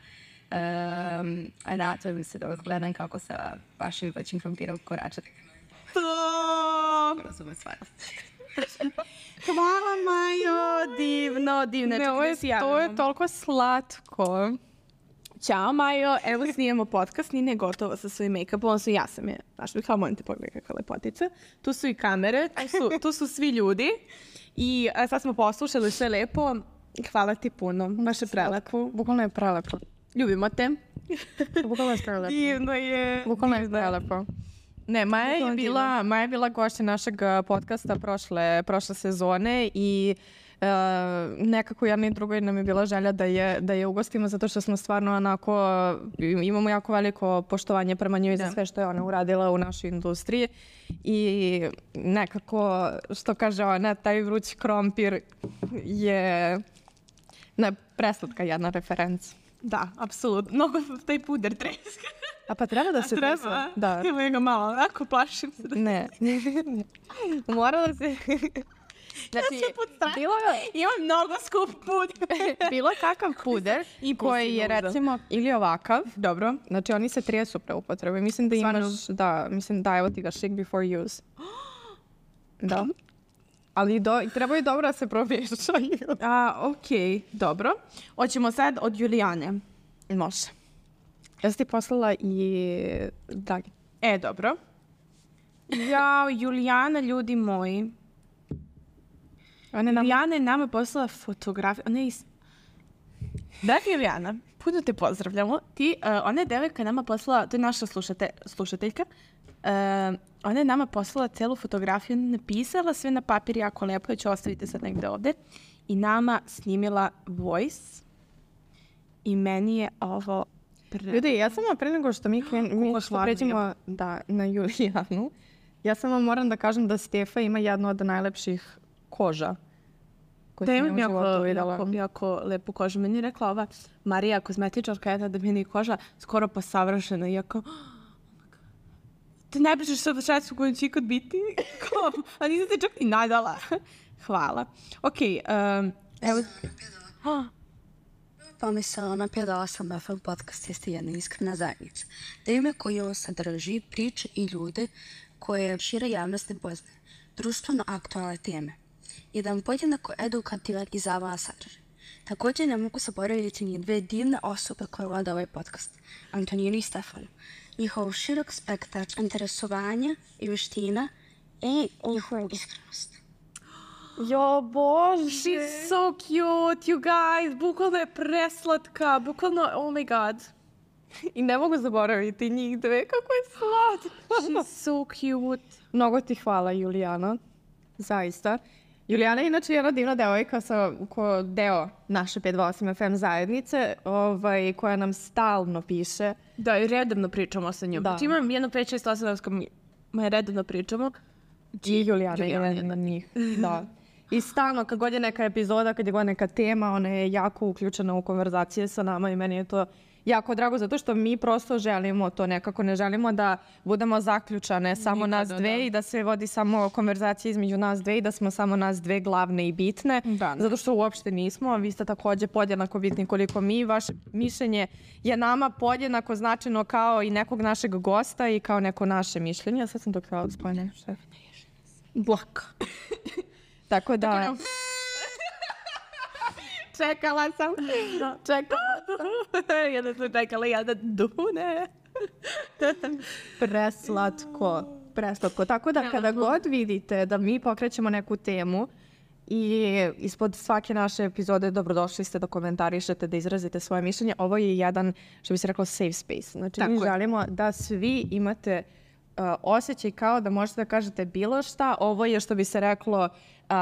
Um, radujem se da vas gledam kako sa vašim vrućim krompirom koračate ka novim pobedama. Ko razume, shvatit će. Hvala, Majo, divno, divno. Ne, ovo je, to je toliko slatko. Ćao, Majo, evo snijemo podcast, Nina je gotova sa svojim make-upom, odnosno ja sam je, znaš mi kao, molim te pogledaj kakva lepotica. Tu su i kamere, tu su, tu su svi ljudi i a, sad smo poslušali sve lepo. Hvala ti puno, baš je prelepo. Bukvalno je prelepo. Ljubimo te. Bukvalno je prelepo. Divno je. Bukvalno je prelepo. Ne, Maja je bila, Maja je bila gošća našeg podcasta prošle, prošle sezone i uh, nekako jedna i drugoj nam je bila želja da je, da je ugostimo zato što smo stvarno onako, imamo jako veliko poštovanje prema njoj za sve što je ona uradila u našoj industriji i nekako, što kaže ona, taj vruć krompir je ne, preslatka jedna referenca. Da, apsolutno. Mnogo taj puder treska. A pa treba da se... Treba? Da. Evo ga malo, onako plašim se. Da... Ne. Mora da se... Znači, bilo je... Imam mnogo skup puder. bilo kakav puder koji je recimo ili ovakav. Dobro. Znači, oni se tresu pre upotrebe. Mislim da imaš, da, mislim da evo ti ga shake before use. Da. Ali do, trebaju dobro da se promješaju. A, okej, okay, dobro. Hoćemo sad od Julijane. Može. Ja sam ti poslala i Dragi. E, dobro. Jao, Julijana, ljudi moji. Ona nam... Julijana je nama poslala fotografiju. Ona je is... Dragi Julijana, puno te pozdravljamo. Ti, uh, ona je devojka nama poslala, to je naša slušate, slušateljka, uh, ona je nama poslala celu fotografiju, napisala sve na papir jako lepo, ja ću ostaviti sad negde ovde, i nama snimila voice. I meni je ovo... Pre... Ljudi, ja samo pre nego što mi, mi što pređemo da, na Julijanu, ja samo moram da kažem da Stefa ima jednu od najlepših koža. Da imam jako, jako, jako lepu kožu. Meni je rekla ova Marija, kozmetičarka, jedna da meni je koža skoro pa savršena. Iako, te najbliže što šeću koju će ikad biti. A nisam te čak i nadala. Hvala. Ok, um, evo... Pomislila napravila sam da film podcast jeste jedna iskrena zajednica. Teme koje ovo sadrži, priče i ljude koje šira javnost ne poznaje. Društveno aktualne teme. Jedan podjednako edukativan i zabavan sadržaj. Također ne mogu zaboraviti ni dve divne osobe koje vode ovaj podcast, Antoninu i Stefanu. Njihov širok spektar interesovanja i veština i njihovu iskrenost. Jo, bože! She's so cute, you guys! Bukvalno je preslatka, bukvalno, oh my god. I ne mogu zaboraviti njih dve, kako je slatko. She's so cute. Mnogo ti hvala, Julijana. Zaista. Julijana je inače jedna divna devojka sa, ko deo naše pet dva osam F M zajednice, ovaj, koja nam stalno piše. Da, i redovno pričamo sa njom. Znači imam jedno pet šest osam s kojom redovno pričamo. I Julijana je jedna od njih. Da. I stalno, kad god je neka epizoda, kad je god neka tema, ona je jako uključena u konverzacije sa nama i meni je to jako drago, zato što mi prosto želimo to nekako, ne želimo da budemo zaključane samo nas dve i da se vodi samo konverzacija između nas dve i da smo samo nas dve glavne i bitne, zato što uopšte nismo, a vi ste također podjednako bitni koliko mi. Vaše mišljenje je nama podjednako značajno kao i nekog našeg gosta i kao neko naše mišljenje. Ja sad sam to htjela da spojene, šef. Blok. Tako da... Čekala sam. Čekala sam. Jedna sam čekala, jedna dune. Preslatko. Preslatko. Tako da kada god vidite da mi pokrećemo neku temu i ispod svake naše epizode dobrodošli ste da komentarišete, da izrazite svoje mišljenje, ovo je jedan, što bi se reklo, safe space. Znači, mi želimo da svi imate uh, osjećaj kao da možete da kažete bilo šta. Ovo je, što bi se reklo, Uh,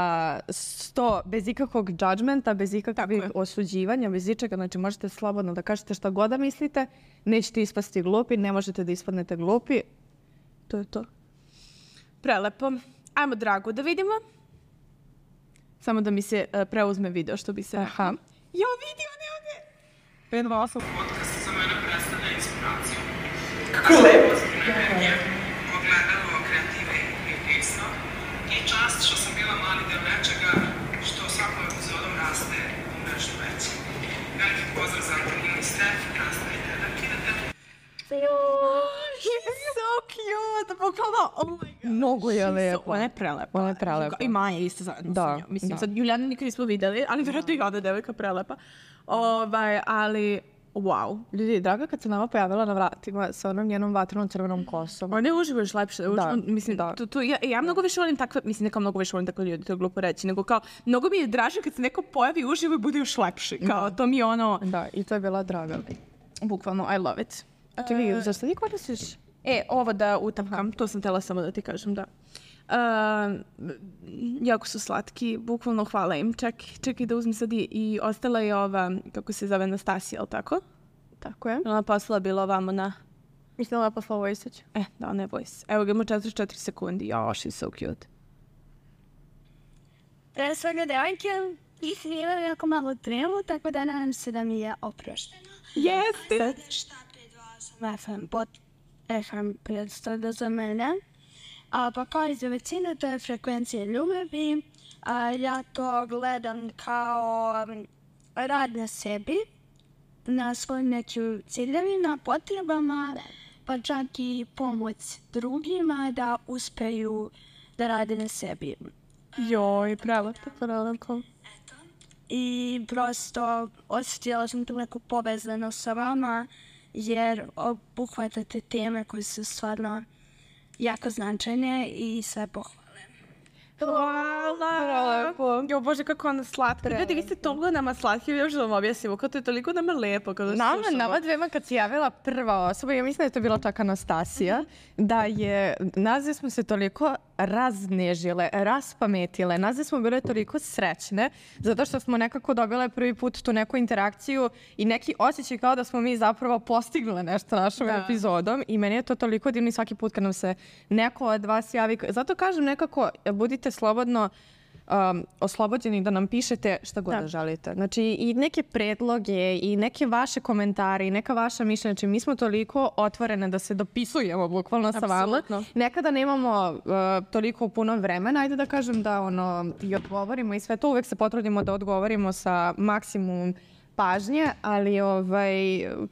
sto, bez ikakvog judgmenta, bez ikakvih osuđivanja, bez ičega, znači možete slobodno da kažete šta god da mislite, nećete ispasti glupi, ne možete da ispadnete glupi. To je to. Prelepo. Ajmo, Dragu, da vidimo. Samo da mi se uh, preuzme video, što bi se... Aha. Jo, vidi, on je ovdje! pet dva osam. Podcast za mene predstavlja inspiraciju. Kako lepo! Energija, ogledalo kreative i pisma i čast što sam bila mali deo nečega što svakom epizodom raste u nešto veće. Veliki pozdrav za Antoninu i Stef, krasna i deda, kidate. He's so cute! Bukvalno, oh my god. Mnogo je lepo. Ona je prelepa. Ona je prelepa. I Maja isto zajedno da, sa njom. Mislim, da. Sad Julijana nikad nismo videli, ali vjerojatno i ona devojka prelepa. Ovaj, ali... Wow. Ljudi, Draga kad se nama pojavila na vratima sa onom njenom vatrenom crvenom kosom. Ona je uživo još lepše. Da, mislim, da. Tu, tu, ja, ja mnogo više volim takve, mislim, neka mnogo više volim takve ljudi, to je glupo reći, nego kao, mnogo mi je draže kad se neko pojavi uživo i bude još lepši. Kao, to mi je ono... Da, i to je bila Draga. Bukvalno, I love it. Čekaj, uh, zašto ti koristiš? E, ovo da utapkam, to sam tela samo da ti kažem, da. Uh, jako su slatki, bukvalno hvala im. Ček, čekaj da uzmem sad i, i ostala je ova, kako se zove, Nastasija, ali tako? Tako je. Ona poslala bila ovamo na... Mislim da je poslala Vojsić. E, da, ona je Voice. Evo ga, ima četrdeset četiri sekundi. Jo, she's so cute. Pre svega, devojke, ih imam jako malo tremu, tako da nadam se da mi je oprošteno. Jeste! Šta pet dva osam F M, pod F M predstavlja za mene. A pa kao i za većinu, to je frekvencija ljubavi, A, ja to gledam kao um, rad na sebi, na svojim nekim ciljevima, potrebama, pa čak i pomoć drugima da uspeju da rade na sebi. Joj, pravo, pravo. I prosto osjetila sam tu neku povezanost sa vama, jer obuhvatate teme koje su stvarno jako značajne i sve pohvale. Hvala! Jo, Bože, kako ona slatka. Ljudi, vi ste toliko nama slatki, još da vam objasnimo, kao to je toliko nama lepo kada Nama, slušamo. nama dvema kad se javila prva osoba, ja mislim da je to bila čak Anastasija, da je, nas smo se toliko raznežile, raspametile, nas smo bile toliko srećne, zato što smo nekako dobile prvi put tu neku interakciju i neki osjećaj kao da smo mi zapravo postigle nešto našom Da. epizodom i meni je to toliko divno i svaki put kad nam se neko od vas javi. Zato kažem nekako, budite slobodno um, oslobođeni da nam pišete šta god da. da želite. Znači i neke predloge i neke vaše komentare i neka vaša mišljenja. Znači mi smo toliko otvorene da se dopisujemo bukvalno sa vama. Nekada nemamo uh, toliko puno vremena. Ajde da kažem da ono i odgovorimo i sve to. Uvek se potrudimo da odgovorimo sa maksimum pažnje, ali ovaj,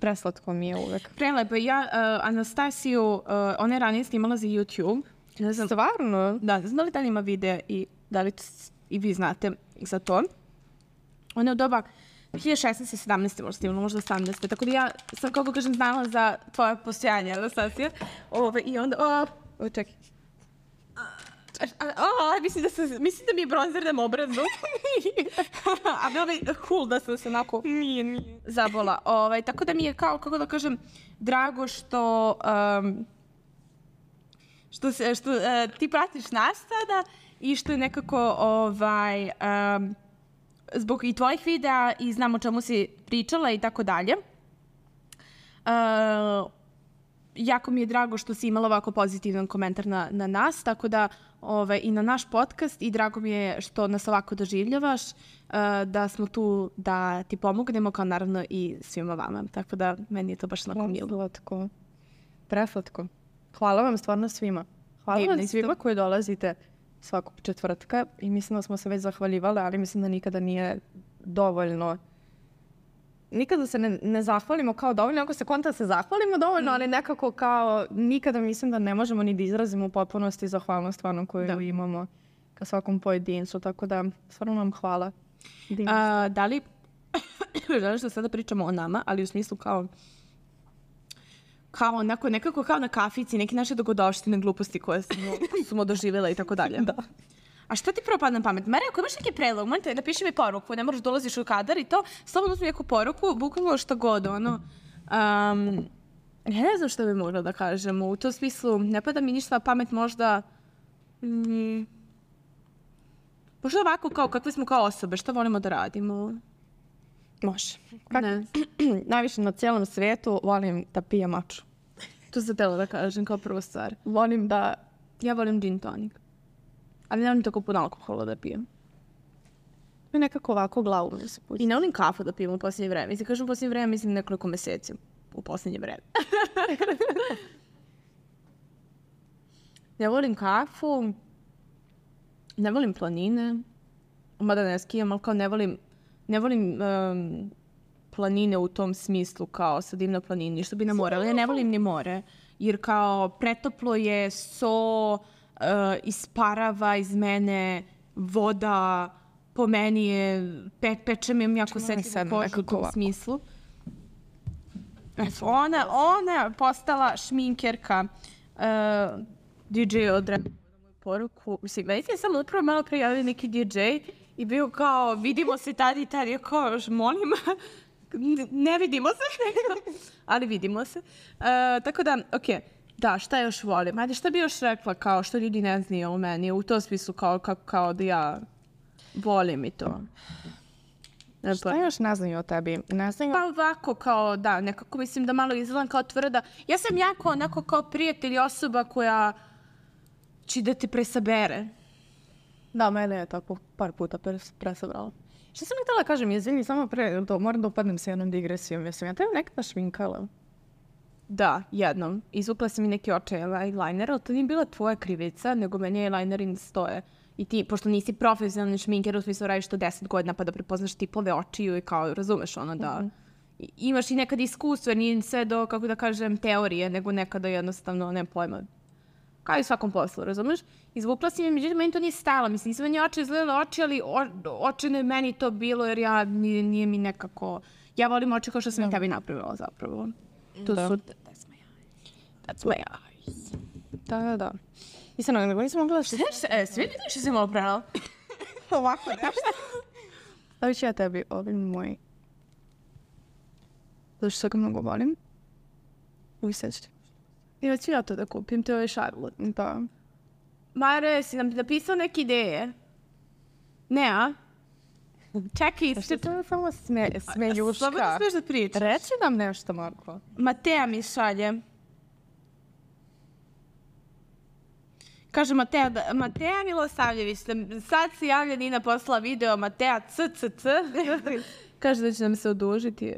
preslatko mi je uvek. Prelepo. Ja, uh, Anastasiju, uh, ona je ranije snimala za YouTube. Ne znam. Stvarno? Da, ne znam da li dalje ima videa i da li t- i vi znate za to. Ona je u doba dve hiljade šesnaeste. sedamnaeste možda snimala, možda osamnaeste. Tako da ja sam, kako kažem, znala za tvoje postojanje, Anastasija. Ove, I onda, o, o čekaj. A, a, a, mislim, da sam, mislim da mi je bronzer da me obrazu. A bilo bi cool da sam se onako nije, nije. zabola. Ove, tako da mi je kao, kako da kažem, drago što... Um, što, se, što uh, ti pratiš nas sada i što je nekako ovaj, um, zbog i tvojih videa i znam o čemu si pričala i tako dalje. Uh, jako mi je drago što si imala ovako pozitivan komentar na, na nas, tako da ovaj, i na naš podcast i drago mi je što nas ovako doživljavaš, uh, da smo tu da ti pomognemo, kao naravno i svima vama. Tako da meni je to baš onako milo. Preslatko. Preslatko. Hvala vam stvarno svima. Hvala Divni vam ste. svima koji dolazite svakog četvrtka i mislim da smo se već zahvaljivali, ali mislim da nikada nije dovoljno. Nikada se ne, ne zahvalimo kao dovoljno, ako se konta se zahvalimo dovoljno, ali nekako kao nikada mislim da ne možemo ni da izrazimo u potpunosti zahvalnost stvarno koju Da. imamo ka svakom pojedincu, tako da stvarno vam hvala. Divni ste. A, da li želiš da sada pričamo o nama, ali u smislu kao kao onako, nekako kao na kafici, neke naše dogodovštine, gluposti koje smo, smo doživjela i tako dalje. Da. A šta ti prvo padne na pamet? Marija, ako imaš neki predlog, možete napiši mi poruku, ne moraš dolaziš u kadar i to, slobodno uzmi neku poruku, bukvalno šta god, ono. Um, ja ne znam šta bi mogla da kažem, u tom smislu, ne pada mi ništa na pamet možda... Mm, možda ovako, kao kakve smo kao osobe, šta volimo da radimo? Može. Kak- Ne. Najviše na cijelom svijetu volim da pijem maču. To sam htjela da kažem kao prvu stvar. Volim da... Ja volim gin tonic. Ali ne volim tako puno alkohola da pijem. mi nekako ovako glavu mi se pusti. I ne volim kafu da pijem u posljednje vreme. Mislim, kažem u posljednje vreme, mislim nekoliko meseci. U posljednje vreme. Ne volim kafu. Ne volim planine. Mada ne skijam, ali kao ne volim... Ne volim um, planine u tom smislu kao sad idem na planini, što bi na more. Ali ja ne volim ni more. Jer kao pretoplo je, so, uh, isparava iz mene, voda, po meni je, pe, peče mi jako setljivu kožu u tom smislu. Eto, ona, ona je postala šminkerka. Uh, D J je odrekao na moju poruku. Mislim, meni je samo upravo malo prijavio neki D J i bio kao, vidimo se tad i tad. Ja kao, molim, ne vidimo se, ali vidimo se. Uh, tako da, okej. Okay. Da, šta još volim? Ajde, šta bi još rekla kao što ljudi ne znaju o meni? U tom smislu kao, kao, kao da ja volim i to. Ne, šta još ne znaju o tebi? Ne znaju... Pa ovako kao, da, nekako mislim da malo izgledam kao tvrda. Ja sam jako onako kao prijatelj i osoba koja će da te presabere. Da, mene je tako par puta pres, presabrala. Šta sam mi htjela kažem, izvini, samo pre, to, moram da upadnem sa jednom digresijom. Jesam ja tebe nekada šminkala? Da, jednom. Izvukla sam i neki očaj eyeliner, ali to nije bila tvoja krivica, nego meni eyelinerin stoje. I ti, pošto nisi profesionalni šminker, u smislu radiš to deset godina pa da prepoznaš tipove očiju i kao, razumeš ono da mm-hmm. imaš i nekad iskustvo, jer nije sve do, kako da kažem, teorije, nego nekada jednostavno, nema pojma. Kao i u svakom poslu, razumeš? Izvukla si mi, međutim, meni to nije stala. Mislim, nisam meni oči izgledala oči, ali o, očine je meni to bilo, jer ja, nije, nije mi nekako... Ja volim oči kao što sam i tebi napravila, zapravo. To da. su... That's my eyes. That's my eyes. Da, da, da. Nisam, nego nisam mogla što... E, svi vidim što si malo prala? Ovako, nešto. Stavit ću ja tebi ovim moj... Zato što ga mnogo volim. Uvi sećate. Ja ću ja to da kupim, to je Charlotte. Da. Mare, si nam napisao neke ideje? Ne, a? Čekaj, što to je samo sme, smeljuška. Slobodno smiješ da pričaš. Reci nam nešto, Marko. Mateja mi šalje. Kaže Mateja, da, Mateja Milosavljević, sad se javlja Nina poslala video Mateja C C C. Kaže da će nam se odužiti.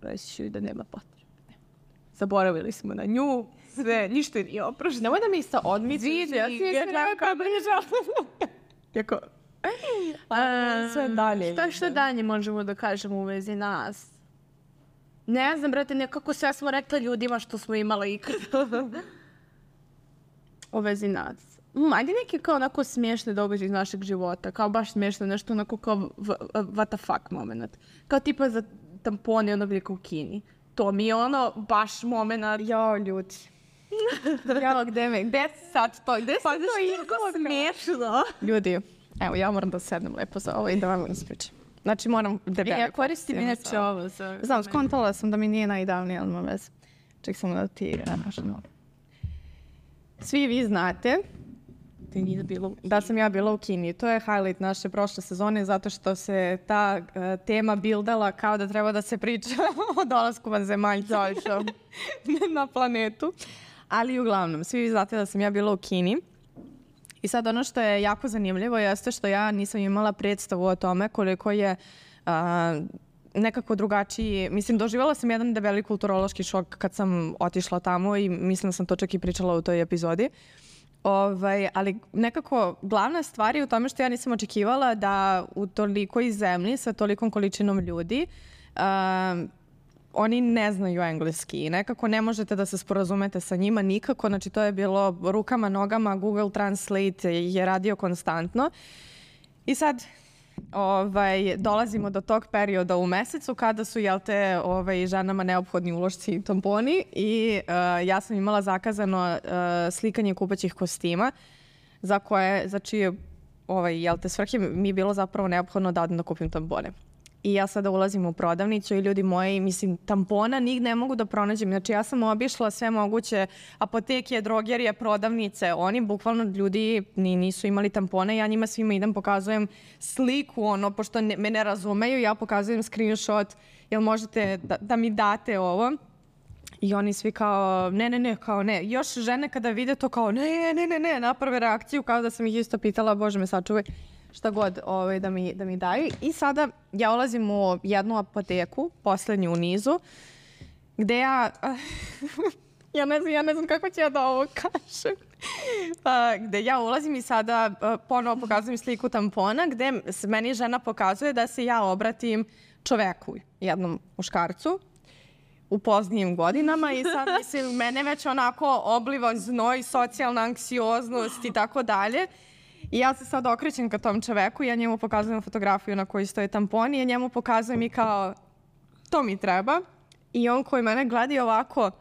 Reći ću da nema potrebe. Zaboravili smo na nju. Sve, ništa nije oprošeno. Nemoj da mi se odmisliš. Ja si je kao bliža. Jako... Sve dalje. Šta što dalje možemo da kažemo u vezi nas? Ne znam, brate, nekako sve smo rekla ljudima što smo imala ikad. U vezi nas. Mm, ajde neki kao onako smiješne događaje iz našeg života. Kao baš smiješno, nešto onako kao what the fuck moment. Kao tipa za tampone ono veliko u Kini. To mi je ono baš moment. Jao, ljudi. Jao, gde me, gde sad to, gde se pa, to je smiješno? Ljudi, evo, ja moram da sednem lepo za ovo i da vam ispričam. Znači, moram debeli. Ja koristim inače ovo. Za... Znam, skontala sam da mi nije najidealnije, ali ima veze. Ček sam da ti... No. Svi vi znate da, bilo da sam ja bila u Kini. To je highlight naše prošle sezone zato što se ta uh, tema bildala kao da treba da se priča o dolasku vanzemaljca na planetu. Ali uglavnom, svi vi znate da sam ja bila u Kini. I sad ono što je jako zanimljivo jeste što ja nisam imala predstavu o tome koliko je uh, nekako drugačiji. Mislim, doživjela sam jedan debeli kulturološki šok kad sam otišla tamo i mislim da sam to čak i pričala u toj epizodi. Ovaj, ali nekako glavna stvar je u tome što ja nisam očekivala da u tolikoj zemlji sa tolikom količinom ljudi uh, oni ne znaju engleski i nekako ne možete da se sporazumete sa njima nikako. Znači to je bilo rukama, nogama, Google Translate je radio konstantno. I sad ovaj, dolazimo do tog perioda u mesecu kada su, jel te, ovaj, ženama neophodni ulošci i tamponi i uh, ja sam imala zakazano uh, slikanje kupaćih kostima za koje, za čije ovaj, jel te, svrhe mi je bilo zapravo neophodno da odem da kupim tampone. I ja sada ulazim u prodavnicu i ljudi moji, mislim, tampona nigde ne mogu da pronađem. Znači ja sam obišla sve moguće apoteke, drogerije, prodavnice. Oni bukvalno ljudi ni, nisu imali tampone. Ja njima svima idem, pokazujem sliku, ono, pošto ne, me ne razumeju. Ja pokazujem screenshot, jel možete da, da mi date ovo? I oni svi kao, ne, ne, ne, kao ne. Još žene kada vide to kao, ne, ne, ne, ne, naprave reakciju kao da sam ih isto pitala, Bože me sačuvaj, šta god ovaj, da, mi, da mi daju. I sada ja ulazim u jednu apoteku, poslednju u nizu, gde ja, ja, ne znam, ja ne znam kako ću ja da ovo kažem, pa, gde ja ulazim i sada ponovo pokazujem sliku tampona, gde meni žena pokazuje da se ja obratim čoveku, jednom muškarcu, u poznijim godinama i sad, mislim, mene već onako obliva znoj, socijalna anksioznost i tako dalje. I ja se sad okrećem ka tom čoveku i ja njemu pokazujem fotografiju na kojoj stoje tamponi i ja njemu pokazujem i kao, to mi treba. I on koji mene gleda ovako...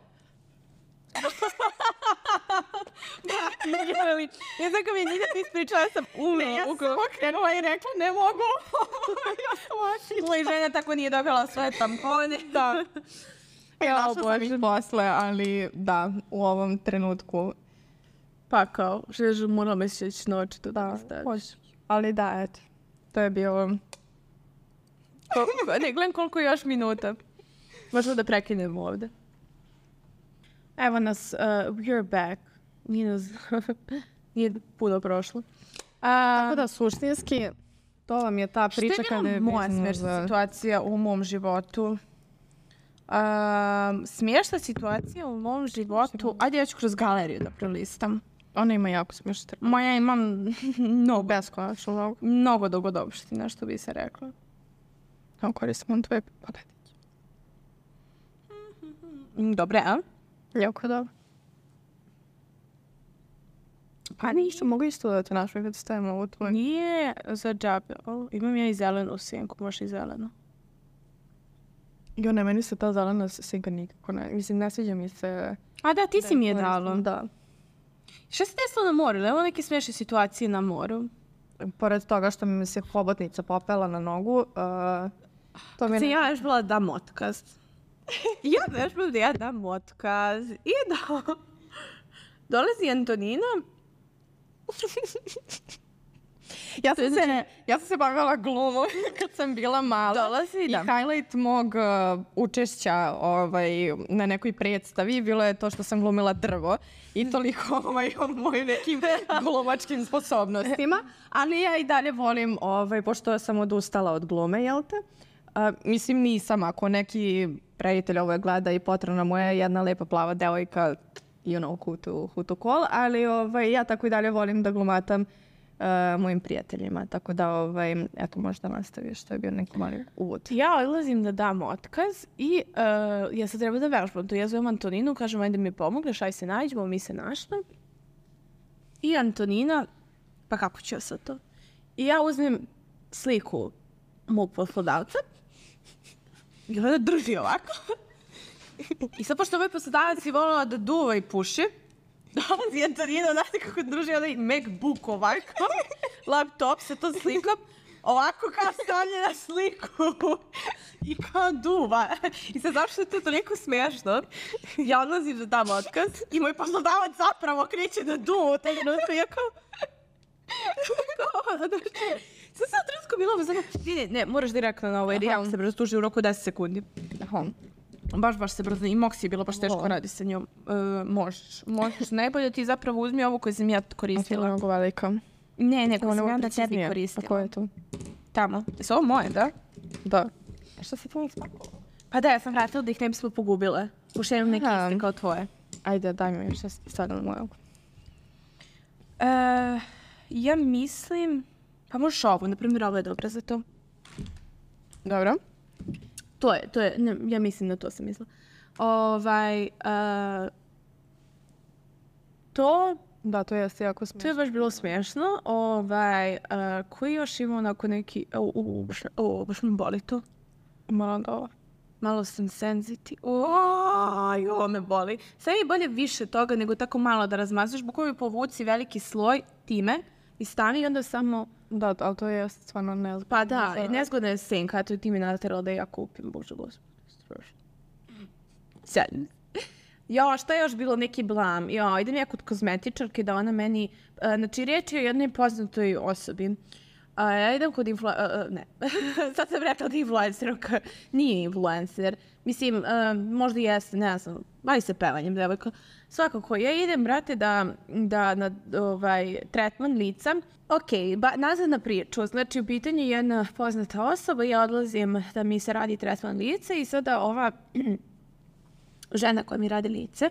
Ja znam kao mi nije ti ispričala, ja sam umela. Ja sam okrenula i rekla, ne mogu. Ja sam očila i žena tako nije dobila sve tampone. Da. Ja obožim posle, ali da, u ovom trenutku... Pa kao, žežu moram meseć noći to da staviš. Ali da, eto, to je bilo... Ne, gledam koliko još minuta. Možemo da prekinemo ovde. Evo nas, uh, we're back. Nije nas, nije puno prošlo. Uh, Tako da, suštinski, to vam je ta priča kada je... Šta je moja smiješna situacija u mom životu? Um, smiješna situacija u mom životu, ajde ja ću kroz galeriju da prelistam. Ona ima jako smiješno trku. Moja ima mnogo, Beskonačno mnogo. mnogo dogodobština, što bi se rekla. Evo koristim on tvoje paletiće. Dobre, a? Jako dobro. Pa ništa, mogu isto da te našoj kad stavimo ovu tvoju. Nije za džabe. O, imam ja i zelenu senku, možeš i zelenu. Jo, ne, meni se ta zelena senka nikako ne. Mislim, ne sviđa mi se... A da, ti si mi je dala. Da. Šta se desilo na moru? Evo neke smiješne situacije na moru. Pored toga što mi se hobotnica popela na nogu, uh, to mi Kad je... sam ja još bila da dam otkaz. Ja bi još bila da ja dam otkaz. I da... Dolazi Antonina. Ja sam, se, ja sam se bavila glumom kad sam bila mala. Dolazi, I da. highlight mog uh, učešća ovaj, na nekoj predstavi bilo je to što sam glumila drvo. I toliko ovaj, o mojim nekim glumačkim sposobnostima. Ali ja i dalje volim, ovaj, pošto sam odustala od glume, jel te? Uh, mislim, nisam. Ako neki prijatelj ovo gleda i potrebna moja jedna lepa plava devojka, you know who to, who to call, ali ovaj, ja tako i dalje volim da glumatam uh, mojim prijateljima, tako da, ovaj, eto, možda nastaviš, to je bio neki mali uvod. Ja odlazim da dam otkaz i uh, ja sad treba da vežbam. To ja zovem Antoninu, kažem, ajde mi pomogneš, aj se nađemo, mi se našli. I Antonina, pa kako ću ja sad to? I ja uzmem sliku mog poslodavca i onda drži ovako. I sad, pošto ovaj poslodavac je volila da duva i puši, dolazi Antonina, znate kako drži onaj MacBook ovako, laptop sa to slikom, ovako kao stavlja na sliku i kao duva. I sad, zašto je to toliko smiješno? Ja odlazim da dam otkaz i moj poslodavac zapravo kreće da duva u taj trenutku. Ja kao... Sad sam trenutku bila uzano, ne, ne, moraš direktno na ovo, jer ja se brzo tuži u roku deset sekundi. Aha. Baš, baš se brzo, i Moksi je bilo baš teško radi sa njom. Uh, možeš, možeš. Najbolje ti zapravo uzmi ovu koju sam ja koristila. Mnogo velika. Ne, ne, koju sam Ovo ja da preciznije. tebi A koristila. ko je to? Tamo. Jesu ovo moje, da? Da. Što si to ispakovala? Pa da, ja sam vratila da ih ne bismo pogubile. Pošto imam neke Aha. iste kao tvoje. Ajde, daj mi još stavljam na moju. Uh, ja mislim... Pa možeš ovu, na primjer, ovo je dobra za to. Dobro. To je, to je, ne, ja mislim da to sam mislila. Ovaj, uh, to... Da, to jeste jako To smiješno. je baš bilo smiješno. Ovaj, uh, koji još ima onako neki... O, o, baš, o, baš mi boli to. Malo da ovo. Malo sam senzitiv. Oj, ovo me boli. Sve je bolje više toga nego tako malo da razmazaš. Bukvalno povuci veliki sloj time i stani i onda samo... Da, ali to je stvarno nezgodno. Pa da, nezgodna je senka. Eto, ti mi naterala da ja kupim. Bože, gospod. Strašno. Sjajno. Jo, šta je još bilo neki blam? Jo, idem ja kod kozmetičarke da ona meni... Uh, znači, riječ je o jednoj poznatoj osobi. Uh, ja idem kod influ... Uh, ne, sad sam rekla da je influencer, nije influencer. Mislim, uh, možda jeste, ne znam, bavi se pevanjem, devojka. Svakako, ja idem, brate, da, da na ovaj, tretman lica. Ok, ba, nazad na priču. Znači, u pitanju je jedna poznata osoba, ja odlazim da mi se radi tretman lica i sada ova žena koja mi radi lice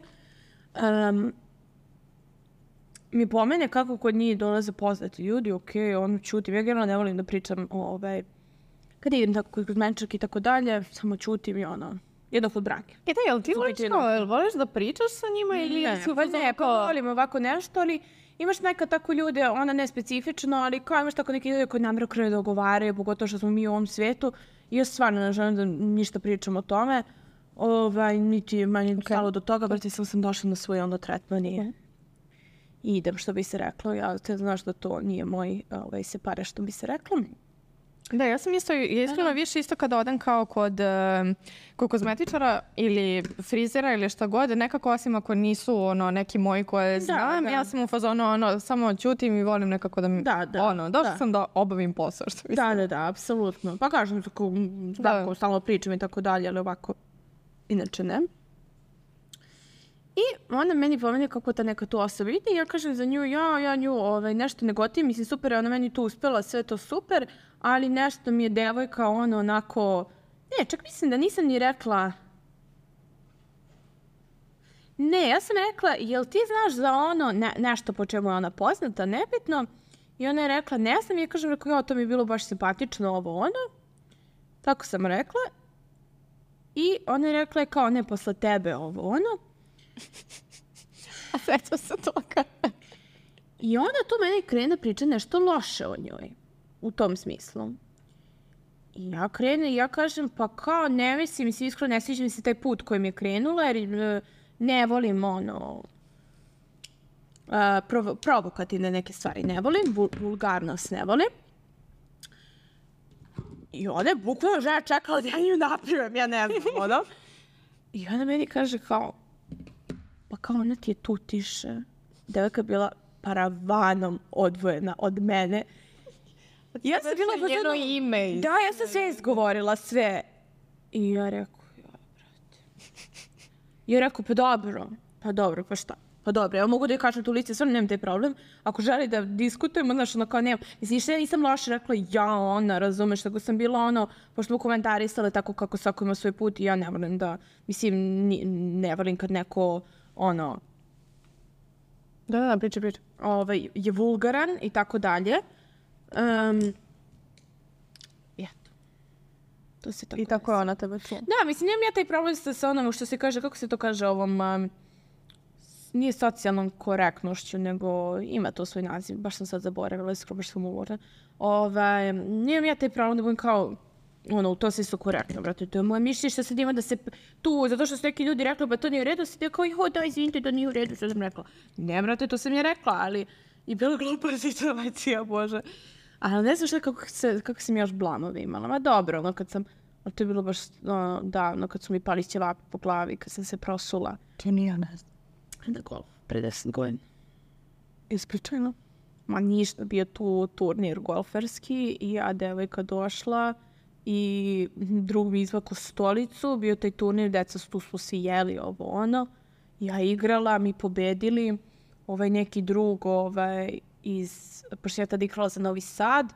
um, mi pomene kako kod njih dolaze poznati ljudi, ok, ono čutim. Ja generalno ne volim da pričam o ovaj, kad idem tako kod kozmetičarke i tako dalje, samo čutim i ono, jedno kod brake. E da, jel ti voliš kao, jel voliš da pričaš sa njima ili Ne, si u pa fazonu ne, pa kao- volim ovako nešto, ali imaš nekad tako ljude, ona ne specifično, ali kao imaš tako neki ljude koji namjerno krenu da ogovaraju, pogotovo što smo mi u ovom svijetu. I ja stvarno ne želim da ništa pričam o tome. Ovaj, niti je manje stalo do toga, brate, sam sam došla na svoj ono tretman i i idem, što bi se reklo. Ja te znaš da to nije moj ovaj, se pare, što bi se reklo. Da, ja sam isto, ja iskreno više isto kada odem kao kod, um, kod kozmetičara ili frizera ili šta god, nekako osim ako nisu ono, neki moji koje znam, da. ja sam u fazonu ono, samo ćutim i volim nekako da mi, Da, da, ono, došla da. sam da obavim posao, što bi Da, da, da, apsolutno. Pa kažem, tako, tako stalno pričam i tako dalje, ali ovako, inače ne. I onda meni pomeni kako ta neka tu osoba ide i ja kažem za nju, ja, ja nju ovaj, nešto ne gotivim, mislim super je ona meni tu uspjela, sve to super, ali nešto mi je devojka ono onako, ne, čak mislim da nisam ni rekla, Ne, ja sam rekla, jel ti znaš za ono, ne, nešto po čemu je ona poznata, nebitno? I ona je rekla, ne znam, ja kažem, rekao, jo, to mi je bilo baš simpatično, ovo ono. Tako sam rekla. I ona je rekla, kao, ne, posle tebe, ovo ono. A seća se toga. I onda tu meni krene priča nešto loše o njoj. U tom smislu. I ja krenu i ja kažem, pa kao, ne mislim, mislim, iskreno ne sviđa mi se taj put kojim je krenula, jer ne volim ono, uh, provo provokativne neke stvari ne volim, vul vulgarnost ne volim. I ona je bukvalno žena čekala da ja nju napravim, ja ne znam, ono. I ona meni kaže kao, pa kao ona ti je tu tiše. Devojka je bila paravanom odvojena od mene. Ja sam bila njeno ono, ime. Da, ja sam sve izgovorila, sve. I ja rekao, ja, brate. I ja rekao, pa dobro, pa dobro, pa šta? Pa dobro, ja mogu da je kažem tu lice, stvarno nemam taj problem. Ako želi da diskutujemo, znaš, ono kao nemam. Mislim, što ja nisam loše rekla, ja, ona, razumeš, tako sam bila ono, pošto smo komentarisale tako kako svako ima svoj put i ja ne volim da, mislim, ne volim kad neko, ono, da, da, priča, priča. Ovaj, je vulgaran i tako dalje. Um, I eto. To se tako I tako je ona tebe čula. Da, mislim, nemam ja taj problem sa, sa onom što se kaže, kako se to kaže ovom, um, nije socijalnom korektnošću, nego ima to svoj naziv, baš sam sad zaboravila, iskoro baš sam umorna. Ovaj, nemam ja taj problem da budem kao, ono, to se su korektno, brate, to je moje mišljenje što sad ima da se tu, zato što su neki ljudi rekli, ba to nije u redu, sad je kao, jo, da, izvinite, da nije u redu, što sam rekla. Ne, brate, to sam je rekla, ali i bila glupa situacija, bože. Ali ne znam što, kako, se, kako sam još blamove imala. Ma dobro, ono, kad sam, ali to je bilo baš ono, davno, kad su mi pali ćevapi po glavi, kad sam se prosula. To nije, ne znam. Da golf, pre deset godina. Ispričajno? Ma ništa, bio tu turnir golferski i ja devojka došla i drug mi izvako stolicu, bio taj turnir, deca tu su se jeli ovo ono. Ja igrala, mi pobedili, ovaj neki drug ovaj, iz, pošto ja tada igrala za Novi Sad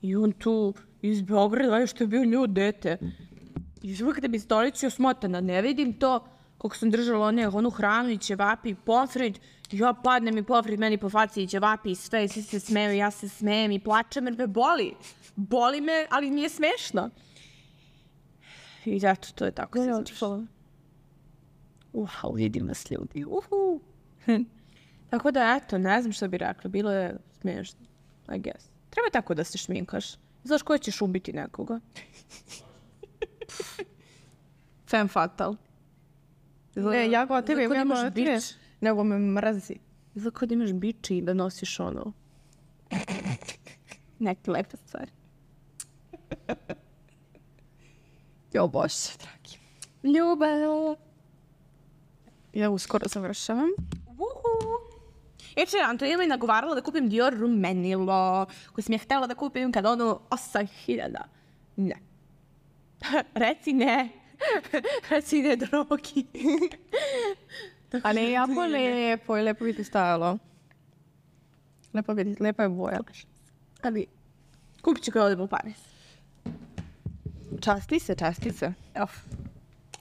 i on tu iz Beograda, što je bio nju dete. I uvijek kada bi stolicu osmotana, ne vidim to, kako sam držala one, onu hranu i ćevapi i pomfrit, ja padnem i pomfrit meni po faci i ćevapi i sve, i svi se smeju, ja se smejem i plačem jer me boli. Boli me, ali nije smešno. I zato to je tako se završilo. Wow, vidim nas ljudi. Uhu. Tako da, eto, ne znam što bi rekla, bilo je smešno, I guess. Treba tako da se šminkaš. Znaš ko ćeš ubiti nekoga? Femme fatal. E, ja kao tebe imam imaš bič, nego me mrazi. Izgleda kao da imaš bič i da nosiš ono neke lepe stvari. Jo, bože, dragi. Ljubav. Ja uskoro završavam. Uhu. Eče, Antonija me nagovarala da kupim Dior rumenilo, koje sam ja htjela da kupim kada ono osam hiljada. Ne. Reci ne. Reci ne, drogi. A ne, jako lepo i lepo bi ti stajalo. Lepo bi ti, lepa je boja. Ali, kupit ću kada odem u Pariz. Časti se, časti se. Of.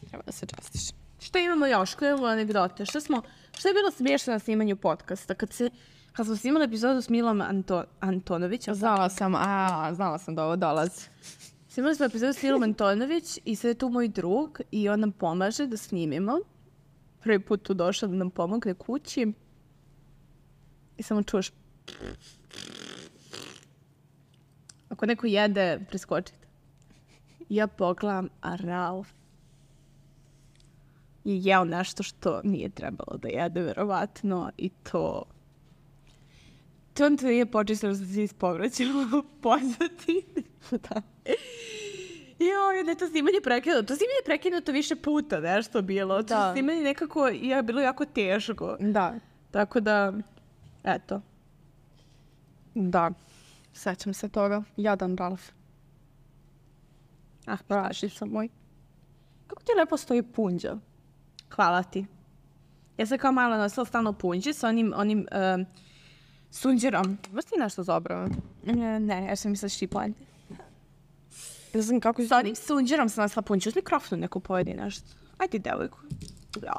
Treba da se častiš. Šta imamo još? Koje imamo anegdote? Šta smo, šta je bilo smiješno na snimanju podcasta? Kad, se, kad smo snimali epizodu s Milom Anto, Antonović. Znala sam, a, znala sam da ovo dolazi. Snimali smo epizodu s Milom Antonović i sad je tu moj drug i on nam pomaže da snimimo. Prvi put tu došao da nam pomogne kući. I samo čuješ. Ako neko jede, preskočite. Ja pogledam, a Ralf je jeo nešto što nije trebalo da jede, verovatno, i to... To on to nije počistilo da se ispovraćalo pozvati. Da. Joj, da je to snimanje prekinuto. To snimanje prekinuto više puta, nešto bilo. To da. Snimanje nekako je bilo jako teško. Da. Tako da, eto. Da. Sećam se toga. Jadan Ralf. Ah, praši sam moj. Kako ti lepo stoji punđa? Hvala ti. Ja sam kao malo nosila stalno punđe sa onim, onim um, sunđerom. Imaš ti nešto zabrano? Ne, ne, ja sam mislila štiplanje. Ja znam kako... Sa onim sunđerom sam nosila punđe. Uz mikrofonu neko pojedi nešto. Ajde, devojku.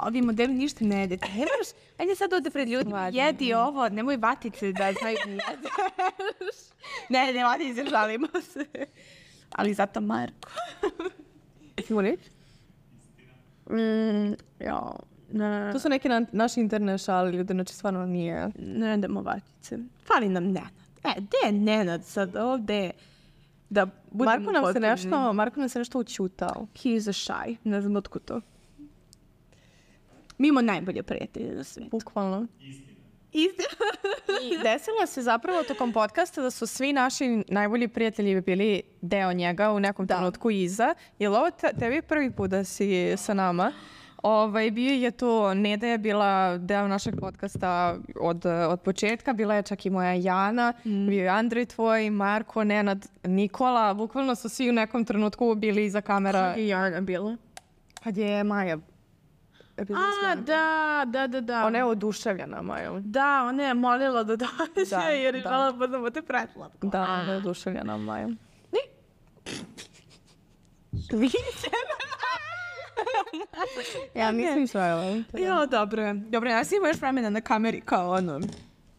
ovi modeli ništa ne jedete. Ne moraš, ajde sad ovde pred ljudima, jedi ovo, nemoj vatice da znaju da jedeš. Ne, ne, vatice, žalimo se. Ali zato Marko.Imo reći? Mm, ja, ne. To su neke na, naši interne šali, ljudi, znači stvarno nije. Ne jedemo vatice. Fali nam Nenad. E, gde je Nenad sad ovde? Da budemo Marko nam se potrebni. nešto, Marko nam se nešto učutao. He is a shy. Ne znam otko to. Mi imamo najbolje prijatelje na svijetu. Bukvalno. Istina. I desilo se zapravo tokom podcasta da su svi naši najbolji prijatelji bili deo njega u nekom trenutku iza. Je li ovo te, tebi prvi put da si sa nama? Ovaj, bio je to, Neda je bila deo našeg podcasta od, od početka, bila je čak i moja Jana, mm. bio je Andrej tvoj, Marko, Nenad, Nikola, bukvalno su svi u nekom trenutku bili iza kamera. Kad je Jana bila? Kad je Maja. A, da, da, da, da. Ona je oduševljena, Maja. Da, ona je molila da dođe Da, jer je da. žela budemo te pretlatko. Da, ona je oduševljena, Maja. Ja mislim sve. Jo, dobro je. Dobro, ja sam imao još vremena na kameri kao ono.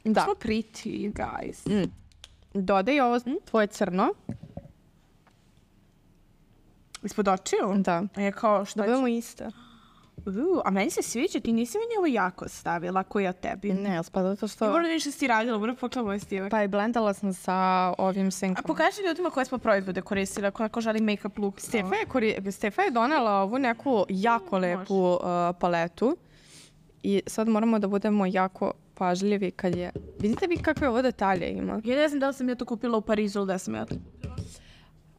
Da. So pretty, guys. Mm. Dodaj ovo tvoje crno. Ispod očiju? Da. A je kao šta Da budemo iste. Uh, a meni se sviđa, ti nisi meni ovo jako stavila, koji je tebi. Ne, pa zato što... Moram da vidiš što si radila, moram pokla moj stivak. Pa i blendala sam sa ovim A senkom. pokaži ljudima koje smo proizvode koristili, ako neko želi make-up look. Stefa je, kori... Stefa je donela ovu neku jako lepu uh, paletu. I sad moramo da budemo jako pažljivi kad je... Vidite vi kakve ovo detalje ima? Ja ne znam da li sam ja to kupila u Parizu ili da sam ja to kupila.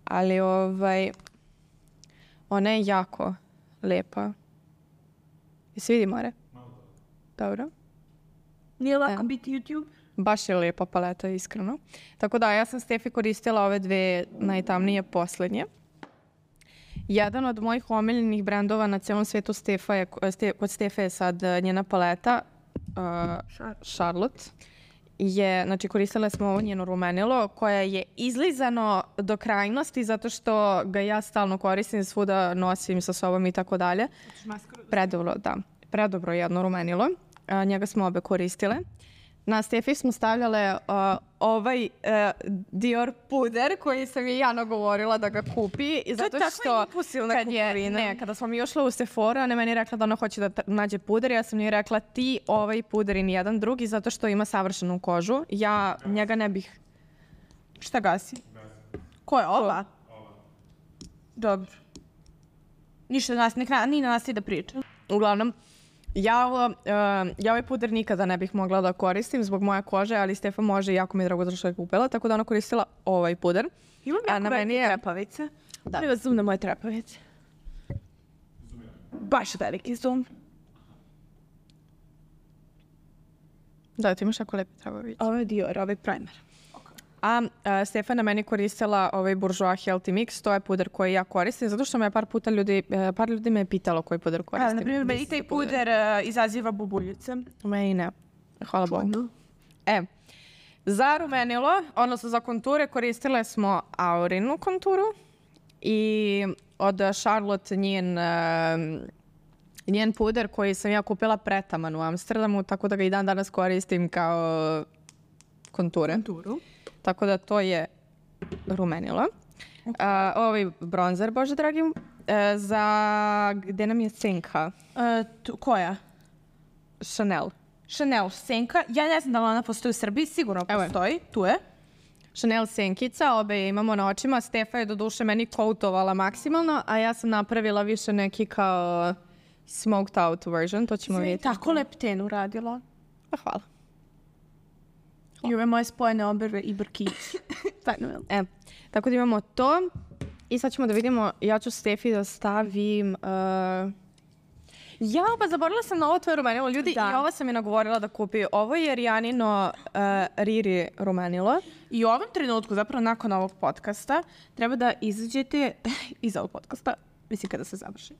Ali ovaj... Ona je jako lepa. Jesi vidi, Mare? Dobro. Nije lako biti YouTube? Baš je lepa paleta, iskreno. Tako da, ja sam Stefi koristila ove dve najtamnije poslednje. Jedan od mojih omiljenih brendova na cijelom svijetu Stefa je, ste, kod Stefa je sad njena paleta uh, Charlotte. Je, znači, koristile smo ovo njeno rumenilo koje je izlizano do krajnosti zato što ga ja stalno koristim, svuda nosim sa sobom i tako dalje. Predobro, da. Predobro jedno rumenilo. A, njega smo obe koristile. Na Stefi smo stavljale uh, ovaj uh, Dior puder koji sam je Jana govorila da ga kupi. I zato to je što takva impulsivna kad je, kupovina. ne, kada smo mi ušle u Sephora, ona je meni rekla da ona hoće da tra- nađe puder. Ja sam joj rekla ti ovaj puder i nijedan drugi zato što ima savršenu kožu. Ja njega ne bih... Šta gasi? Ko je ova? Dobro. Ništa nas, nek na, ni na nas ti da pričam. Uglavnom, ja, ovo, uh, ja ovaj puder nikada ne bih mogla da koristim zbog moje kože, ali Stefa može i jako mi je drago da što je kupila, tako da ona koristila ovaj puder. Imam A jako na meni velike je- trepavice. Da. Molim vas zoom na moje trepavice. Baš veliki zoom. Da, ti imaš jako lepe travoviće. Ovo je Dior, ovo je primer. A uh, Stefa na meni koristila ovaj Bourjois Healthy Mix, to je puder koji ja koristim, zato što me par puta ljudi, uh, par ljudi me je pitalo koji puder koristim. A, na primjer, meni taj puder uh, izaziva bubuljice. Meni ne. Hvala Bogu. E, za rumenilo, odnosno za konture, koristile smo Aurinu konturu i od Charlotte njen, uh, njen puder koji sam ja kupila pretaman u Amsterdamu, tako da ga i dan danas koristim kao konture. Konturu. Tako da to je rumenilo. Okay. Uh, ovaj bronzer, bože dragi, uh, za gde nam je senka? Uh, tu, koja? Chanel. Chanel senka. Ja ne znam da li ona postoji u Srbiji, sigurno Evo je. postoji. Tu je. Chanel senkica, obe je imamo na očima. Stefa je do duše meni koutovala maksimalno, a ja sam napravila više neki kao smoked out version, to ćemo vidjeti. Tako leptenu radila. Pa hvala. I ove moje spojene obrve i brkići. Stvarno je. E, tako da imamo to. I sad ćemo da vidimo, ja ću Stefi da stavim... Uh... Ja, pa zaboravila sam na ovo tvoje rumenilo. Ljudi, Da. i ovo sam je nagovorila da kupi. Ovo je Rijanino uh, Riri rumenilo. I u ovom trenutku, zapravo nakon ovog podcasta, treba da izađete iz ovog podcasta, mislim kada se završi,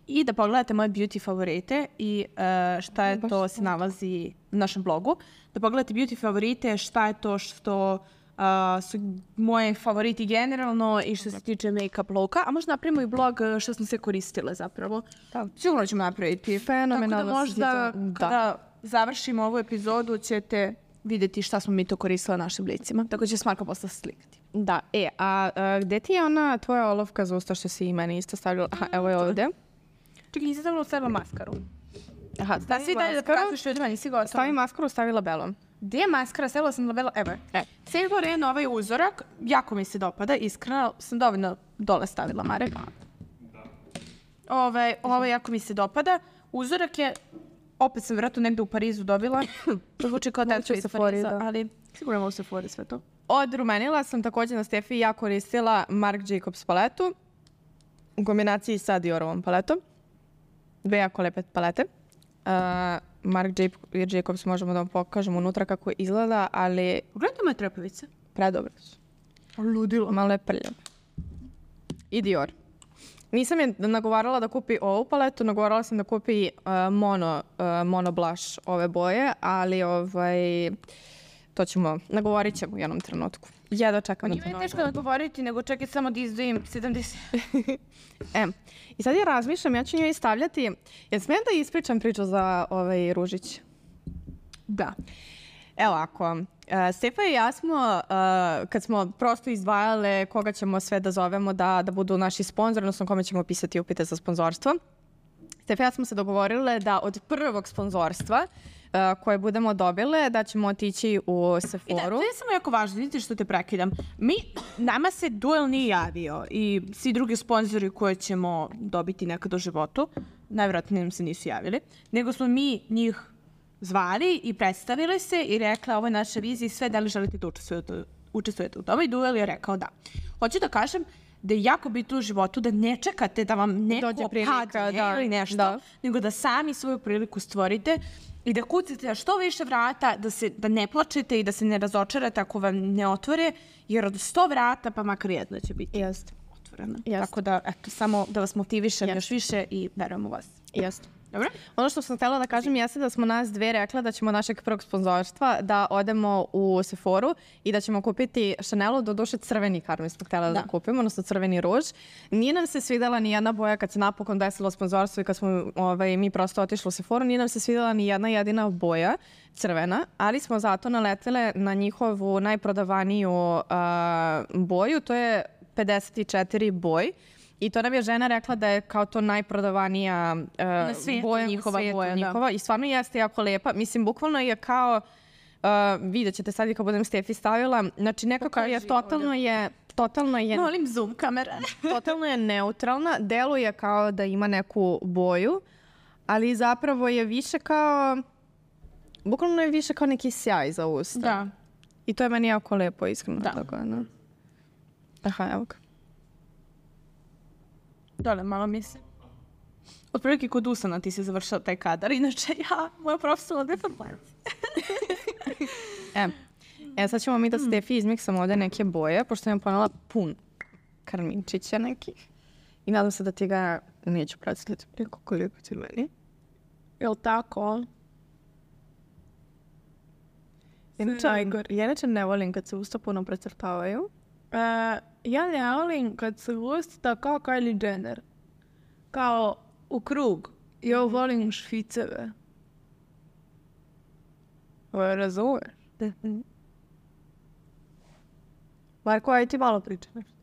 i da pogledate moje beauty favorite i uh, šta je to se nalazi na našem blogu. Da pogledate beauty favorite, šta je to što uh, su moje favoriti generalno i što se tiče make-up looka. A možda napravimo i blog uh, što smo se koristile zapravo. Da. Sigurno ćemo napraviti. Fenomenalno. Tako da možda Da. kada završimo ovu epizodu ćete vidjeti šta smo mi to koristile našim licima. Tako će se Marko posle slikati. Da, e, a, a gde ti je ona tvoja olovka za usta što si i meni isto stavila? Aha, evo je ovde. Čekaj, nisi stavila stavila maskaru. Aha, Da, stavi svi dalje da maskaru. pokažeš ljudima, nisi gotova. Stavi maskaru, stavila belom. Gdje je maskara? Stavila sam labela, evo je. E. Sailor N, ovaj uzorak, jako mi se dopada, iskreno sam dovoljno dole stavila, Marek. Ovaj, ovaj jako mi se dopada. Uzorak je, opet sam vjerojatno negde u Parizu dobila. To zvuči kao tečka iz Pariza, ali sigurno mogu se Sephora sve to. Od rumenila sam također na Stefi ja koristila Marc Jacobs paletu u kombinaciji sa Diorovom paletom. Dve jako lepe palete. Uh, Marc Jacobs možemo da vam pokažemo unutra kako izgleda, ali Pogledajte moje trepavice. predobre su. Ludilo. Malo je prljavo. I Dior. Nisam je nagovarala da kupi ovu paletu, nagovarala sam da kupi uh, mono, uh, mono blush ove boje, ali ovaj, to ćemo, nagovorit ćemo u jednom trenutku. Jedva čekam. Nije mi teško da govoriti, nego čekaj samo da izdvojim sedamdeset. E, i sad ja razmišljam, ja ću njoj stavljati, jel smijem da ispričam priču za ovaj Ružić? Da. Evo ako, uh, Stefa i ja smo, uh, kad smo prosto izdvajale koga ćemo sve da zovemo da, da budu naši sponzori, odnosno kome ćemo pisati upite za sponzorstvo, Stefa i ja smo se dogovorile da od prvog sponzorstva uh, koje budemo dobile, da ćemo otići u I da, Sephoru. to je samo jako važno, vidite što te prekidam. Mi, nama se Duel nije javio i svi drugi sponzori koje ćemo dobiti nekad u životu, najvjerojatnije nam se nisu javili, nego smo mi njih zvali i predstavili se i rekla ovo je naša vizija i sve, da li želite da učestvujete, učestvujete u tome, i Duel je rekao da. Hoću da kažem da je jako bitno u životu da ne čekate da vam neko Dođe prilika, padne da, ili nešto, da. nego da sami svoju priliku stvorite i da kucate na što više vrata, da, se, da ne plačete i da se ne razočarate ako vam ne otvore, jer od sto vrata pa makar jedno će biti Jest. otvoreno. Jest. Tako da, eto, samo da vas motivišem Jest. još više i verujem u vas. Jeste. Dobro? Ono što sam htjela da kažem jeste da smo nas dve rekla da ćemo našeg prvog sponzorstva da odemo u Sephoru i da ćemo kupiti Chanelu, do duše crveni karmi smo htjela da. da kupimo, odnosno crveni ruž. Nije nam se svidjela ni jedna boja kad se napokon desilo sponzorstvo i kad smo ovaj, mi prosto otišli u Sephoru, nije nam se svidjela ni jedna jedina boja crvena, ali smo zato naletele na njihovu najprodavaniju uh, boju, to je pedeset četiri boj. I to nam je žena rekla da je kao to najprodavanija uh, svijetu boja njihova u svijetu boja, da. njihova. I stvarno jeste jako lepa. Mislim, bukvalno je kao, uh, vidjet ćete sad i kad budem Stefi stavila, znači nekako Pokaži je totalno je, totalno je, Molim zoom kamera. totalno je neutralna. Deluje kao da ima neku boju, ali zapravo je više kao, bukvalno je više kao neki sjaj za usta. Da. I to je meni jako lepo, iskreno. Da. Tako, no. Aha, evo ga. Dole, malo mislim. Otprilike kod usana ti se završao taj kadar, inače ja, moja profesionalna deformacija. E, e, sad ćemo mi da Stefi izmiksamo ovdje neke boje, pošto sam ponela pun karminčića nekih. I nadam se da ti ga neću predstaviti. Preko koliko ti meni. Jel tako? Inače, ja inače ne volim kad se usta puno precrtavaju. E, ja ne volim kad se usta kao Kylie Jenner. Kao u krug. Ja volim šviceve. Ovo razumeš? Marko, aj ti malo priča nešto.